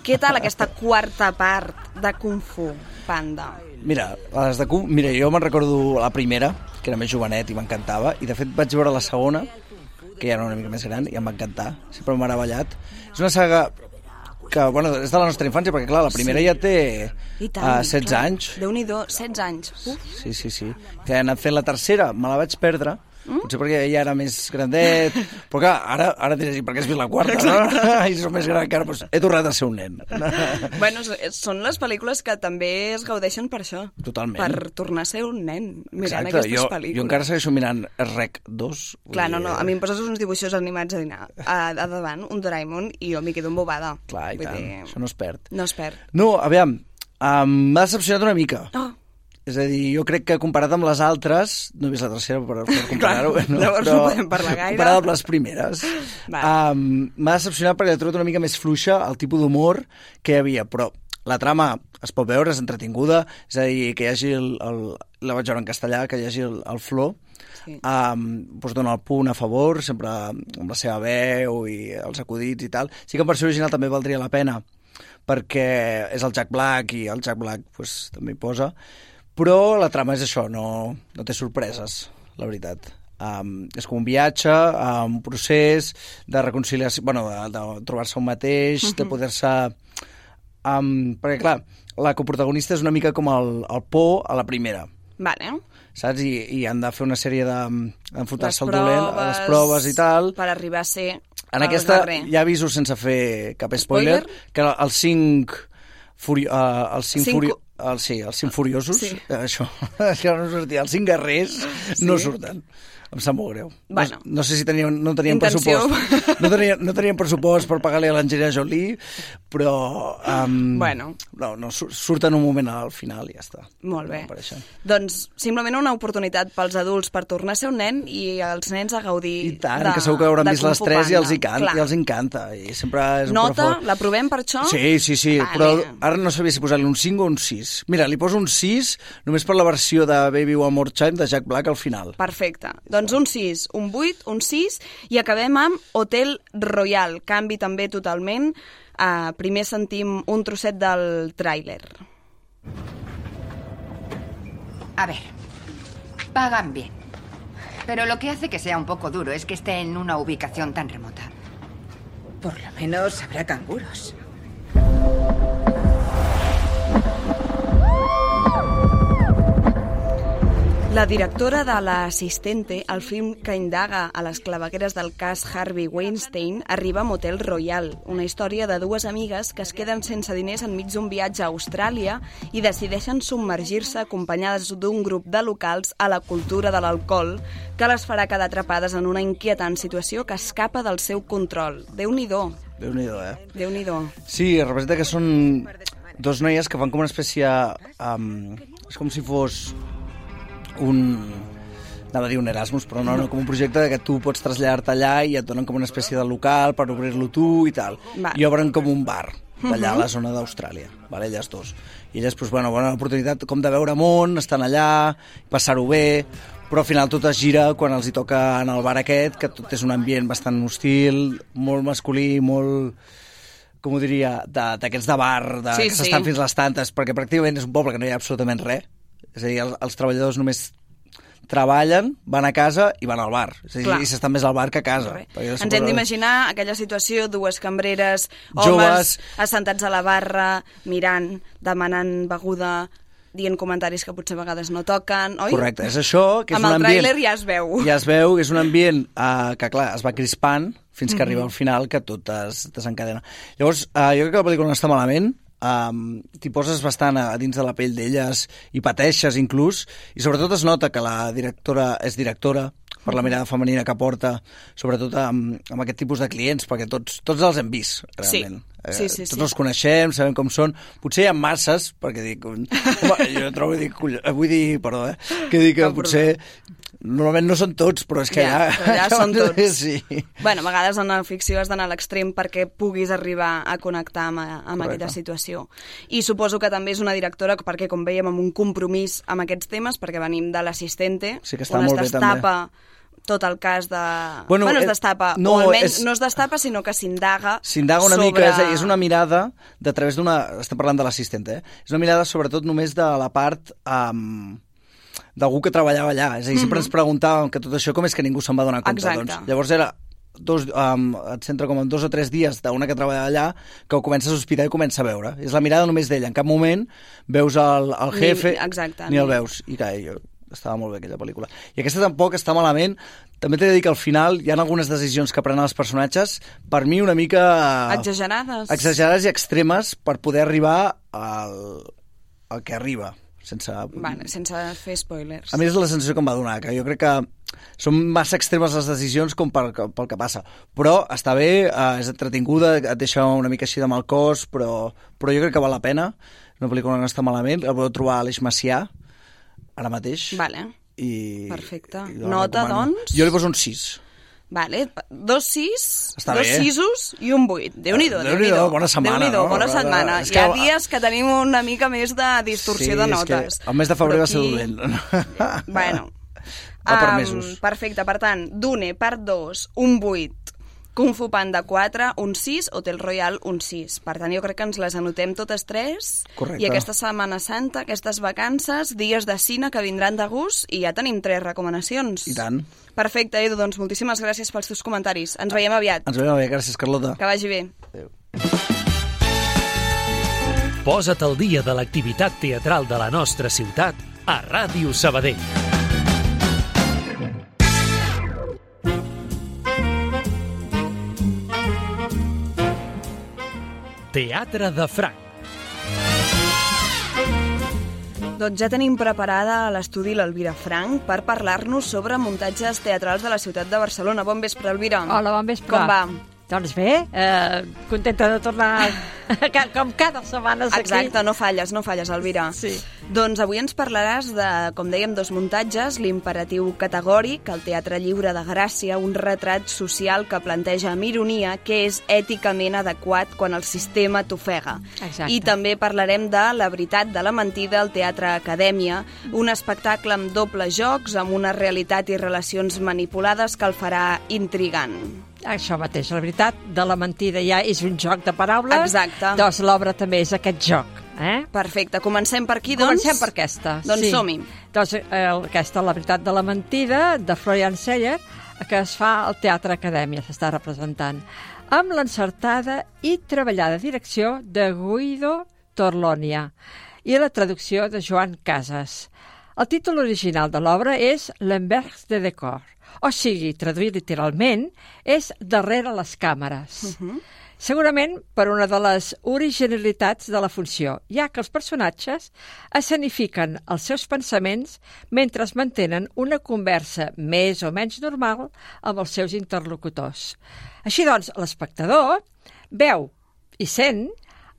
Què tal aquesta quarta part de Kung Fu Panda? Mira, les de Kung... Mira, jo me'n recordo la primera, que era més jovenet i m'encantava, i de fet vaig veure la segona, que ja era una mica més gran, i em va encantar. Sempre m'ha meravellat. És una saga que, bueno, és de la nostra infància, perquè, clar, la primera sí. ja té uh, setze anys. Déu-n'hi-do, setze anys. Uf. Sí, sí, sí. Que he anat fent la tercera, me la vaig perdre, mm? potser perquè ja era més grandet, però clar, ara, ara diràs, per què has vist la quarta, no? I som més gran encara, doncs he tornat a ser un nen. Bueno, són les pel·lícules que també es gaudeixen per això. Totalment. Per tornar a ser un nen mirant Exacte. aquestes jo, pel·lícules. Jo encara segueixo mirant Rec dos. Clar, no, no, a mi em poses uns dibuixos animats a, dinar, a, a davant, un Doraemon, i jo m'hi quedo embobada. Clar, i Vull tant, dir... això no es perd. No es perd. No, aviam, um, m'ha decepcionat una mica. Oh. És a dir, jo crec que comparat amb les altres, no he vist la tercera per, per comparar-ho, no? Llavors però no podem parlar gaire. Comparat amb les primeres, um, m'ha decepcionat perquè he trobat una mica més fluixa el tipus d'humor que hi havia, però la trama es pot veure, és entretinguda, és a dir, que hi hagi el, el, la vaig veure en castellà, que hi hagi el, el flow, sí. um, doncs dona el punt a favor, sempre amb la seva veu i els acudits i tal. Sí que en versió original també valdria la pena, perquè és el Jack Black i el Jack Black pues, també hi posa, però la trama és això, no, no té sorpreses, la veritat. Um, és com un viatge, um, un procés de reconciliació, bueno, de, de trobar-se un mateix, uh-huh. de poder-se... Um, perquè, clar, la coprotagonista és una mica com el, el por a la primera. Vale. Saps? I, i han de fer una sèrie d'enfrontar-se al dolent, a les proves i tal. Per arribar a ser en aquesta, ja aviso sense fer cap spoiler, spoiler? que els cinc... Furi, uh, els cinc, cinc... Furi... El, sí, els cinc furiosos, sí. això, això no sortia. Els cinc guerrers sí. no surten. Em sap molt greu. Bueno, no, no sé si tenien, no tenien pressupost. No tenien, no tenien pressupost per pagar-li a l'Angelina Jolie, però um, bueno. no, no, surten un moment al final i ja està. Molt bé. No doncs simplement una oportunitat pels adults per tornar a ser un nen i els nens a gaudir I tant, de, que segur que hauran vist les tres i els, hi can, Clar. i els encanta. I sempre és Nota, la provem per això? Sí, sí, sí, vale. Però ara no sabia si posar-li un cinc o un sis. Mira, li poso un sis només per la versió de Baby One More Time de Jack Black al final. Perfecte. Doncs un sis, un vuit, un sis i acabem amb Hotel Royal. Canvi també totalment. Uh, primer sentim un trosset del tràiler. A ver, pagan bien. Pero lo que hace que sea un poco duro es que esté en una ubicación tan remota. Por lo menos habrá canguros. La directora de l'Assistente, el film que indaga a les clavegueres del cas Harvey Weinstein, arriba a Motel Royal, una història de dues amigues que es queden sense diners enmig d'un viatge a Austràlia i decideixen submergir-se acompanyades d'un grup de locals a la cultura de l'alcohol que les farà quedar atrapades en una inquietant situació que escapa del seu control. Déu-n'hi-do. Déu-n'hi-do, eh? Déu-n'hi-do. Sí, representa que són dos noies que fan com una espècie... Um, és com si fos... un... anava a dir un Erasmus, però no, no, com un projecte que tu pots traslladar-te allà i et donen com una espècie de local per obrir-lo tu i tal. Va. I obren com un bar d'allà a la zona d'Austràlia, vale? Elles dos. I elles, doncs, bueno, bona oportunitat com de veure món, estan allà, passar-ho bé, però al final tot es gira quan els hi toca en el bar aquest, que tot és un ambient bastant hostil, molt masculí, molt, com ho diria, d'aquests de, de bar, de, sí, que s'estan sí. fins les tantes, perquè pràcticament és un poble que no hi ha absolutament res. És a dir, els, els treballadors només treballen, van a casa i van al bar. És a dir, i s'estan més al bar que a casa. Ens hem d'imaginar aquella situació, dues cambreres, homes joves assentats a la barra, mirant, demanant beguda, dient comentaris que potser a vegades no toquen, oi? Correcte, és això, que és amb un ambient... Amb el tràiler ja es veu. Ja es veu, és un ambient uh, que, clar, es va crispant fins que mm-hmm. arriba al final, que tot es desencadena. Llavors, uh, jo crec que la pel·lícula no està malament, um, t'hi poses bastant a, a dins de la pell d'elles i pateixes inclús, i sobretot es nota que la directora és directora per la mirada femenina que porta, sobretot amb, amb aquest tipus de clients, perquè tots, tots els hem vist, realment. Sí, sí, sí. Eh, tots sí. els coneixem, sabem com són. Potser hi ha masses, perquè dic... Home, jo trobo, dic, vull dir, perdó, eh? Que dic que no, potser... Normalment no són tots, però és que ja... Ja, ja són tots. Sí. Bueno, a vegades en la ficció has d'anar a l'extrem perquè puguis arribar a connectar amb, amb aquella situació. I suposo que també és una directora, perquè com veiem, amb un compromís amb aquests temes, perquè venim de l'Assistente, sí, que està on molt es destapa tot el cas de... Bueno, bueno es destapa, no, o almenys és... no es destapa, sinó que s'indaga S'indaga una sobre... mica, és, és una mirada de través d'una... Estem parlant de l'Assistente, eh? És una mirada sobretot només de la part... Um... d'algú que treballava allà. És a dir, mm-hmm. sempre ens preguntàvem que tot això com és que ningú se'n va donar compte. Exacte. Doncs, llavors era dos, um, et centra com en dos o tres dies d'una que treballa allà que ho comença a sospitar i comença a veure. És la mirada només d'ella. En cap moment veus el, el jefe ni, exacte, ni el veus. I que jo, estava molt bé aquella pel·lícula. I aquesta tampoc està malament. També t'he de dir que al final hi ha algunes decisions que prenen els personatges per mi una mica... Exagerades. Exagerades i extremes per poder arribar al, al que arriba. Sense... Vale, sense fer spoilers. A mi és la sensació que em va donar, que jo crec que són massa extremes les decisions com per, pel que passa. Però està bé, eh, és entretinguda, et deixa una mica així de mal cos, però, però jo crec que val la pena. És una pel·lícula que no està malament. La podeu trobar a l'Eix Macià, ara mateix. Vale, I, perfecte. I Nota, doncs? Jo li poso un sis. Vale, dos sis, Està dos bé. sisos i un vuit. Déu-n'hi-do, Déu-n'hi-do, Déu-n'hi-do. bona setmana, Déu-n'hi-do, no? bona setmana. És Hi que- ha dies que tenim una mica més de distorsió sí, de notes. És que el mes de febrer Però va ser aquí- dolent. Bueno. Va per Um, mesos. Perfecte, per tant, Dune, part dos, un vuit. Kung Fu Panda quatre, un sis, Hotel Royal, un sis. Per tant, jo crec que ens les anotem totes tres. Correcte. I aquesta Setmana Santa, aquestes vacances, dies de cine que vindran de gust, i ja tenim tres recomanacions. I tant. Perfecte, Edu, doncs moltíssimes gràcies pels teus comentaris. Ens veiem aviat. Ens veiem bé, gràcies, Carlota. Que vagi bé. Adéu. Posa't al dia de l'activitat teatral de la nostra ciutat a Ràdio Sabadell. Teatre de Franc. Doncs ja tenim preparada a l'estudi l'Elvira Frank per parlar-nos sobre muntatges teatrals de la ciutat de Barcelona. Bon vespre, Elvira. Hola, bon vespre. Com va? Doncs bé, eh, contenta de tornar com cada setmana aquí. Exacte, no falles, no falles, Elvira. Sí. Doncs avui ens parlaràs de, com dèiem, dos muntatges, l'imperatiu categòric, el Teatre Lliure de Gràcia, un retrat social que planteja amb ironia que és èticament adequat quan el sistema t'ofega. Exacte. I també parlarem de La veritat de la mentida, al Teatre Acadèmia, un espectacle amb dobles jocs, amb una realitat i relacions manipulades que el farà intrigant. Això mateix, la veritat de la mentida ja és un joc de paraules. Exacte. Doncs l'obra també és aquest joc. Eh? Perfecte, comencem per aquí, doncs? Comencem per aquesta. Doncs sí. som-hi. Doncs eh, aquesta, La veritat de la mentida, de Florian Zeller, que es fa al Teatre Acadèmia, s'està representant, amb l'encertada i treballada direcció de Guido Torlonia i la traducció de Joan Casas. El títol original de l'obra és L'Envers de Décor, o sigui, traduït literalment, és Darrere les càmeres. Uh-huh. Segurament per una de les originalitats de la funció, ja que els personatges escenifiquen els seus pensaments mentre es mantenen una conversa més o menys normal amb els seus interlocutors. Així doncs, l'espectador veu i sent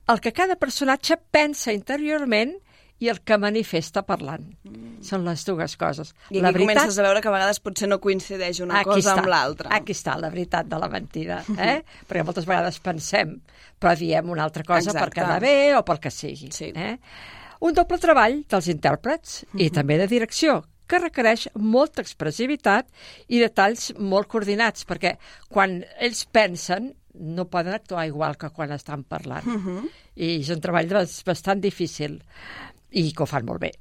el que cada personatge pensa interiorment i el que manifesta parlant. Mm. Són les dues coses. I aquí la veritat... comences a veure que a vegades potser no coincideix una aquí cosa està, amb l'altra. Aquí està la veritat de la mentida, eh? Perquè moltes vegades pensem, però diem una altra cosa Exacte. per quedar bé o pel que sigui. Sí. Eh? Un doble treball dels intèrprets uh-huh. i també de direcció, que requereix molta expressivitat i detalls molt coordinats, perquè quan ells pensen no poden actuar igual que quan estan parlant. Mhm. I és un treball bastant difícil i que ho fan molt bé.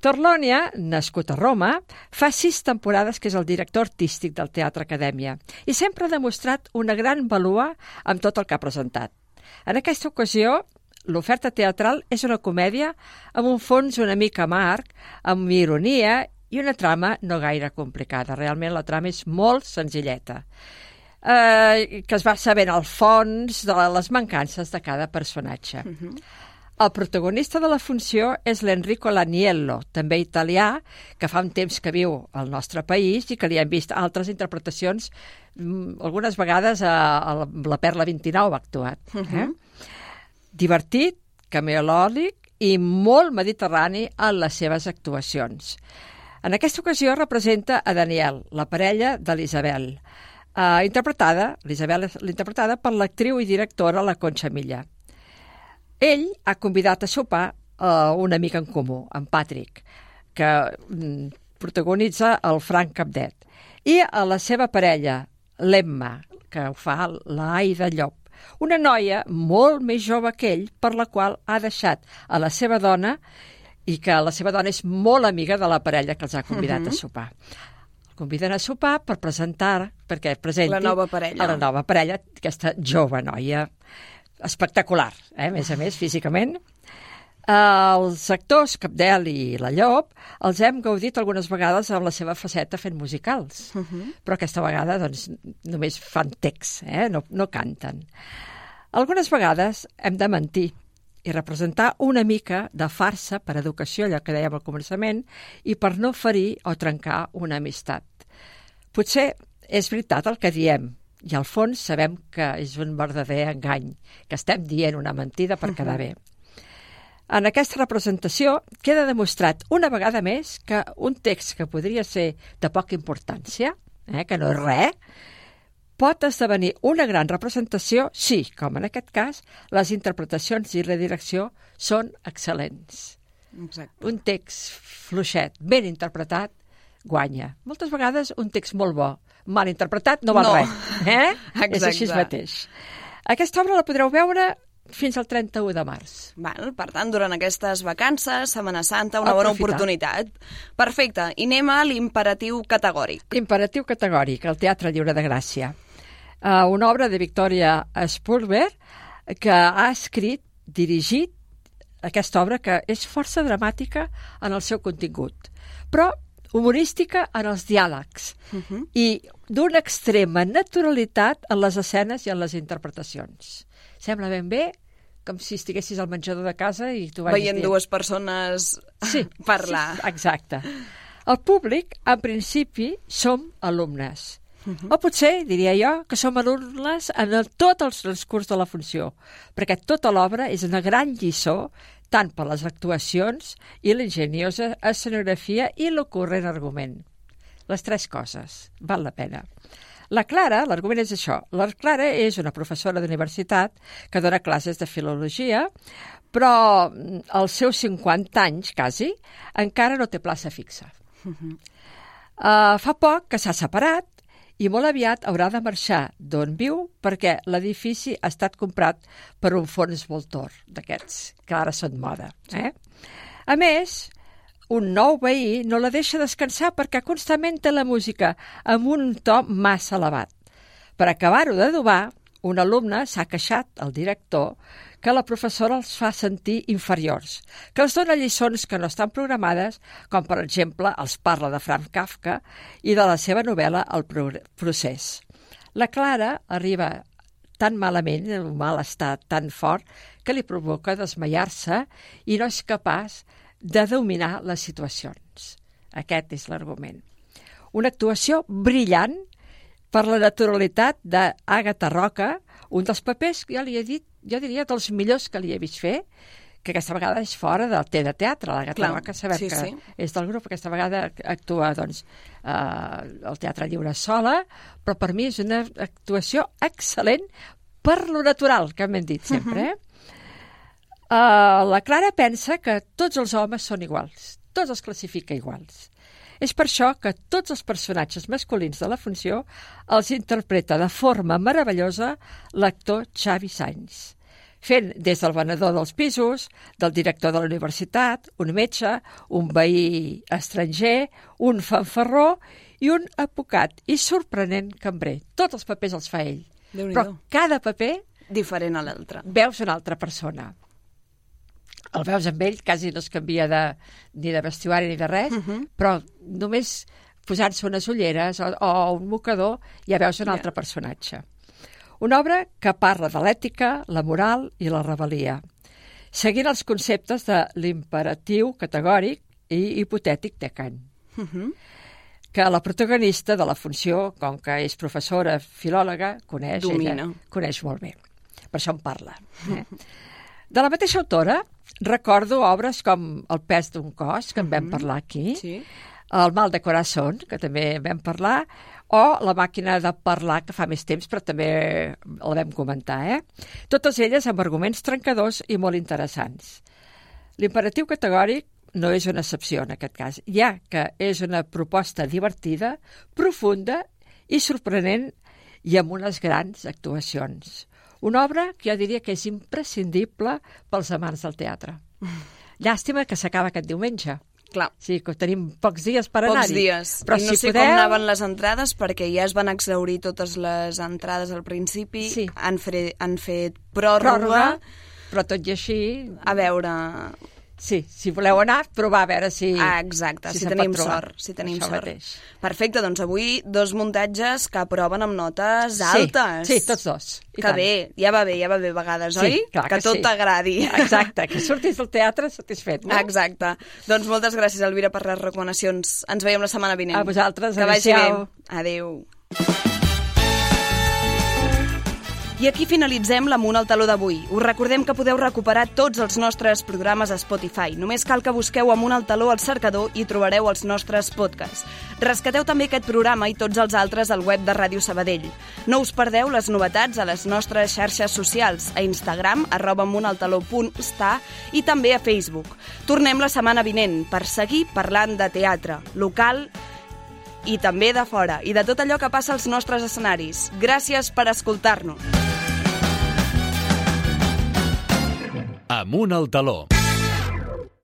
Torlonia, nascut a Roma, fa sis temporades que és el director artístic del Teatre Acadèmia i sempre ha demostrat una gran vàlua amb tot el que ha presentat. En aquesta ocasió, l'oferta teatral és una comèdia amb un fons una mica amarg, amb ironia i una trama no gaire complicada. Realment la trama és molt senzilleta, eh, que es va sabent al fons de les mancances de cada personatge. Mhm. El protagonista de la funció és l'Enrico Laniello, també italià, que fa un temps que viu al nostre país i que li han vist altres interpretacions, algunes vegades a, a la Perla vint-i-nou ha actuat. Eh? Mhm. Divertit, cameolòlic i molt mediterrani en les seves actuacions. En aquesta ocasió representa a Daniel, la parella de l'Isabel, eh, interpretada, l'Isabel és interpretada per l'actriu i directora la Concha Milla. Ell ha convidat a sopar a un amic en comú, en Patrick, que mm, protagonitza el Frank Capdet, i a la seva parella, l'Emma, que ho fa l'Aida Llop, una noia molt més jove que ell, per la qual ha deixat a la seva dona i que la seva dona és molt amiga de la parella que els ha convidat Mhm. a sopar. El conviden a sopar per presentar, perquè presenti La nova parella. a la nova parella, aquesta jove noia espectacular, eh? A més a més, físicament. Els actors Capdel i la Llop els hem gaudit algunes vegades amb la seva faceta fent musicals, Mhm. però aquesta vegada doncs, només fan text, eh? no, no canten. Algunes vegades hem de mentir i representar una mica de farsa per educació, allò que dèiem al començament, i per no ferir o trencar una amistat. Potser és veritat el que diem, i al fons sabem que és un verdader engany, que estem dient una mentida per quedar bé. En aquesta representació queda demostrat una vegada més que un text que podria ser de poca importància, eh, que no és res, pot esdevenir una gran representació si, com en aquest cas, les interpretacions i la direcció són excel·lents. Exacte. Un text fluixet, ben interpretat, guanya. Moltes vegades un text molt bo, mal interpretat, no val No. res. Eh? Exacte. És així mateix. Aquesta obra la podreu veure fins al trenta-u de març. Val, per tant, durant aquestes vacances, Setmana Santa, una bona Aprofitar. oportunitat. Perfecte. I anem a l'imperatiu categòric. Imperatiu categòric, el Teatre Lliure de Gràcia. Uh, una obra de Victoria Spurber que ha escrit, dirigit aquesta obra que és força dramàtica en el seu contingut, però humorística en els diàlegs Mhm. i d'una extrema naturalitat en les escenes i en les interpretacions. Sembla ben bé com si estiguessis al menjador de casa i tu vagis Veient dient... dues persones sí, parlar. Sí, exacte. El públic, en principi, som alumnes. Mhm. O potser, diria jo, que som alumnes en el, tot el transcurs de la funció, perquè tota l'obra és una gran lliçó tant per les actuacions i l'enginyosa escenografia i l'ocorrent argument. Les tres coses. Val la pena. La Clara, l'argument és això, la Clara és una professora d'universitat que dona classes de filologia, però als seus cinquanta anys, quasi, encara no té plaça fixa. Mhm. Uh, fa poc que s'ha separat i molt aviat haurà de marxar d'on viu perquè l'edifici ha estat comprat per un fons voltor d'aquests, que ara són moda. Eh? A més, un nou veí no la deixa descansar perquè constantment té la música amb un to massa elevat. Per acabar-ho d'adobar, un alumne s'ha queixat al director que la professora els fa sentir inferiors, que els dona lliçons que no estan programades, com per exemple els parla de Franz Kafka i de la seva novel·la El procés. La Clara arriba tan malament, un malestar tan fort, que li provoca desmaiar-se i no és capaç de dominar les situacions. Aquest és l'argument. Una actuació brillant per la naturalitat d'Àgata Roca, un dels papers que ja li he dit, jo diria dels millors que li he vist fer, que aquesta vegada és fora del té de teatre. L'Àgata Roca sabem sí, que sí. és del grup, aquesta vegada actua doncs, eh, al Teatre Lliure sola, però per mi és una actuació excel·lent per lo natural, que m'hem dit sempre. Eh? Uh, la Clara pensa que tots els homes són iguals, tots els classifica iguals. És per això que tots els personatges masculins de la funció els interpreta de forma meravellosa l'actor Xavi Sainz, fent des del venedor dels pisos, del director de la universitat, un metge, un veí estranger, un fanfarró i un advocat i sorprenent cambrer. Tots els papers els fa ell. Però cada paper diferent a l'altre. Veus una altra persona. El veus amb ell, quasi no es canvia de, ni de vestuari ni de res, uh -huh. però només posant-se unes ulleres o, o un mocador ja veus un yeah. altre personatge. Una obra que parla de l'ètica, la moral i la rebel·lia, seguint els conceptes de l'imperatiu categòric i hipotètic de Kant. Uh -huh. que la protagonista de la funció, com que és professora, filòloga, coneix, ella, coneix molt bé. Per això en parla. Eh? De la mateixa autora, recordo obres com El pes d'un cos, que en vam parlar aquí, sí. El mal de corazón, que també en vam parlar, o La màquina de parlar, que fa més temps, però també la vam comentar. Eh? Totes elles amb arguments trencadors i molt interessants. L'imperatiu categòric no és una excepció en aquest cas, ja que és una proposta divertida, profunda i sorprenent i amb unes grans actuacions. Una obra que jo diria que és imprescindible pels amants del teatre. Llàstima que s'acaba aquest diumenge. Clar. Sí, que tenim pocs dies per anar-hi. Pocs dies. Però I no si sé podeu... com anaven les entrades, perquè ja es van exhaurir totes les entrades al principi. Sí. Han, fre... han fet pròrroga. pròrroga. Però tot i així... A veure... Sí, si voleu anar, provar a veure si... Ah, exacte, si, si tenim sort. Si tenim Això sort. Mateix. Perfecte, doncs avui dos muntatges que aproven amb notes sí, altes. Sí, tots dos. I que tant. bé, ja va bé, ja va bé a vegades, sí, oi? Clar que, que tot sí. t'agradi. Exacte, que surtis del teatre satisfet, no? Exacte. Doncs moltes gràcies, Elvira, per les recomanacions. Ens veiem la setmana vinent. A vosaltres, que vagi bé. Adéu. I aquí finalitzem l'Amunt al Taló d'avui. Us recordem que podeu recuperar tots els nostres programes a Spotify. Només cal que busqueu Amunt al Taló al cercador i trobareu els nostres podcasts. Rescateu també aquest programa i tots els altres al web de Ràdio Sabadell. No us perdeu les novetats a les nostres xarxes socials, a Instagram, arroba amuntaltaló punt sta i també a Facebook. Tornem la setmana vinent per seguir parlant de teatre, local i també de fora, i de tot allò que passa als nostres escenaris. Gràcies per escoltar-nos. Amunt al Taló.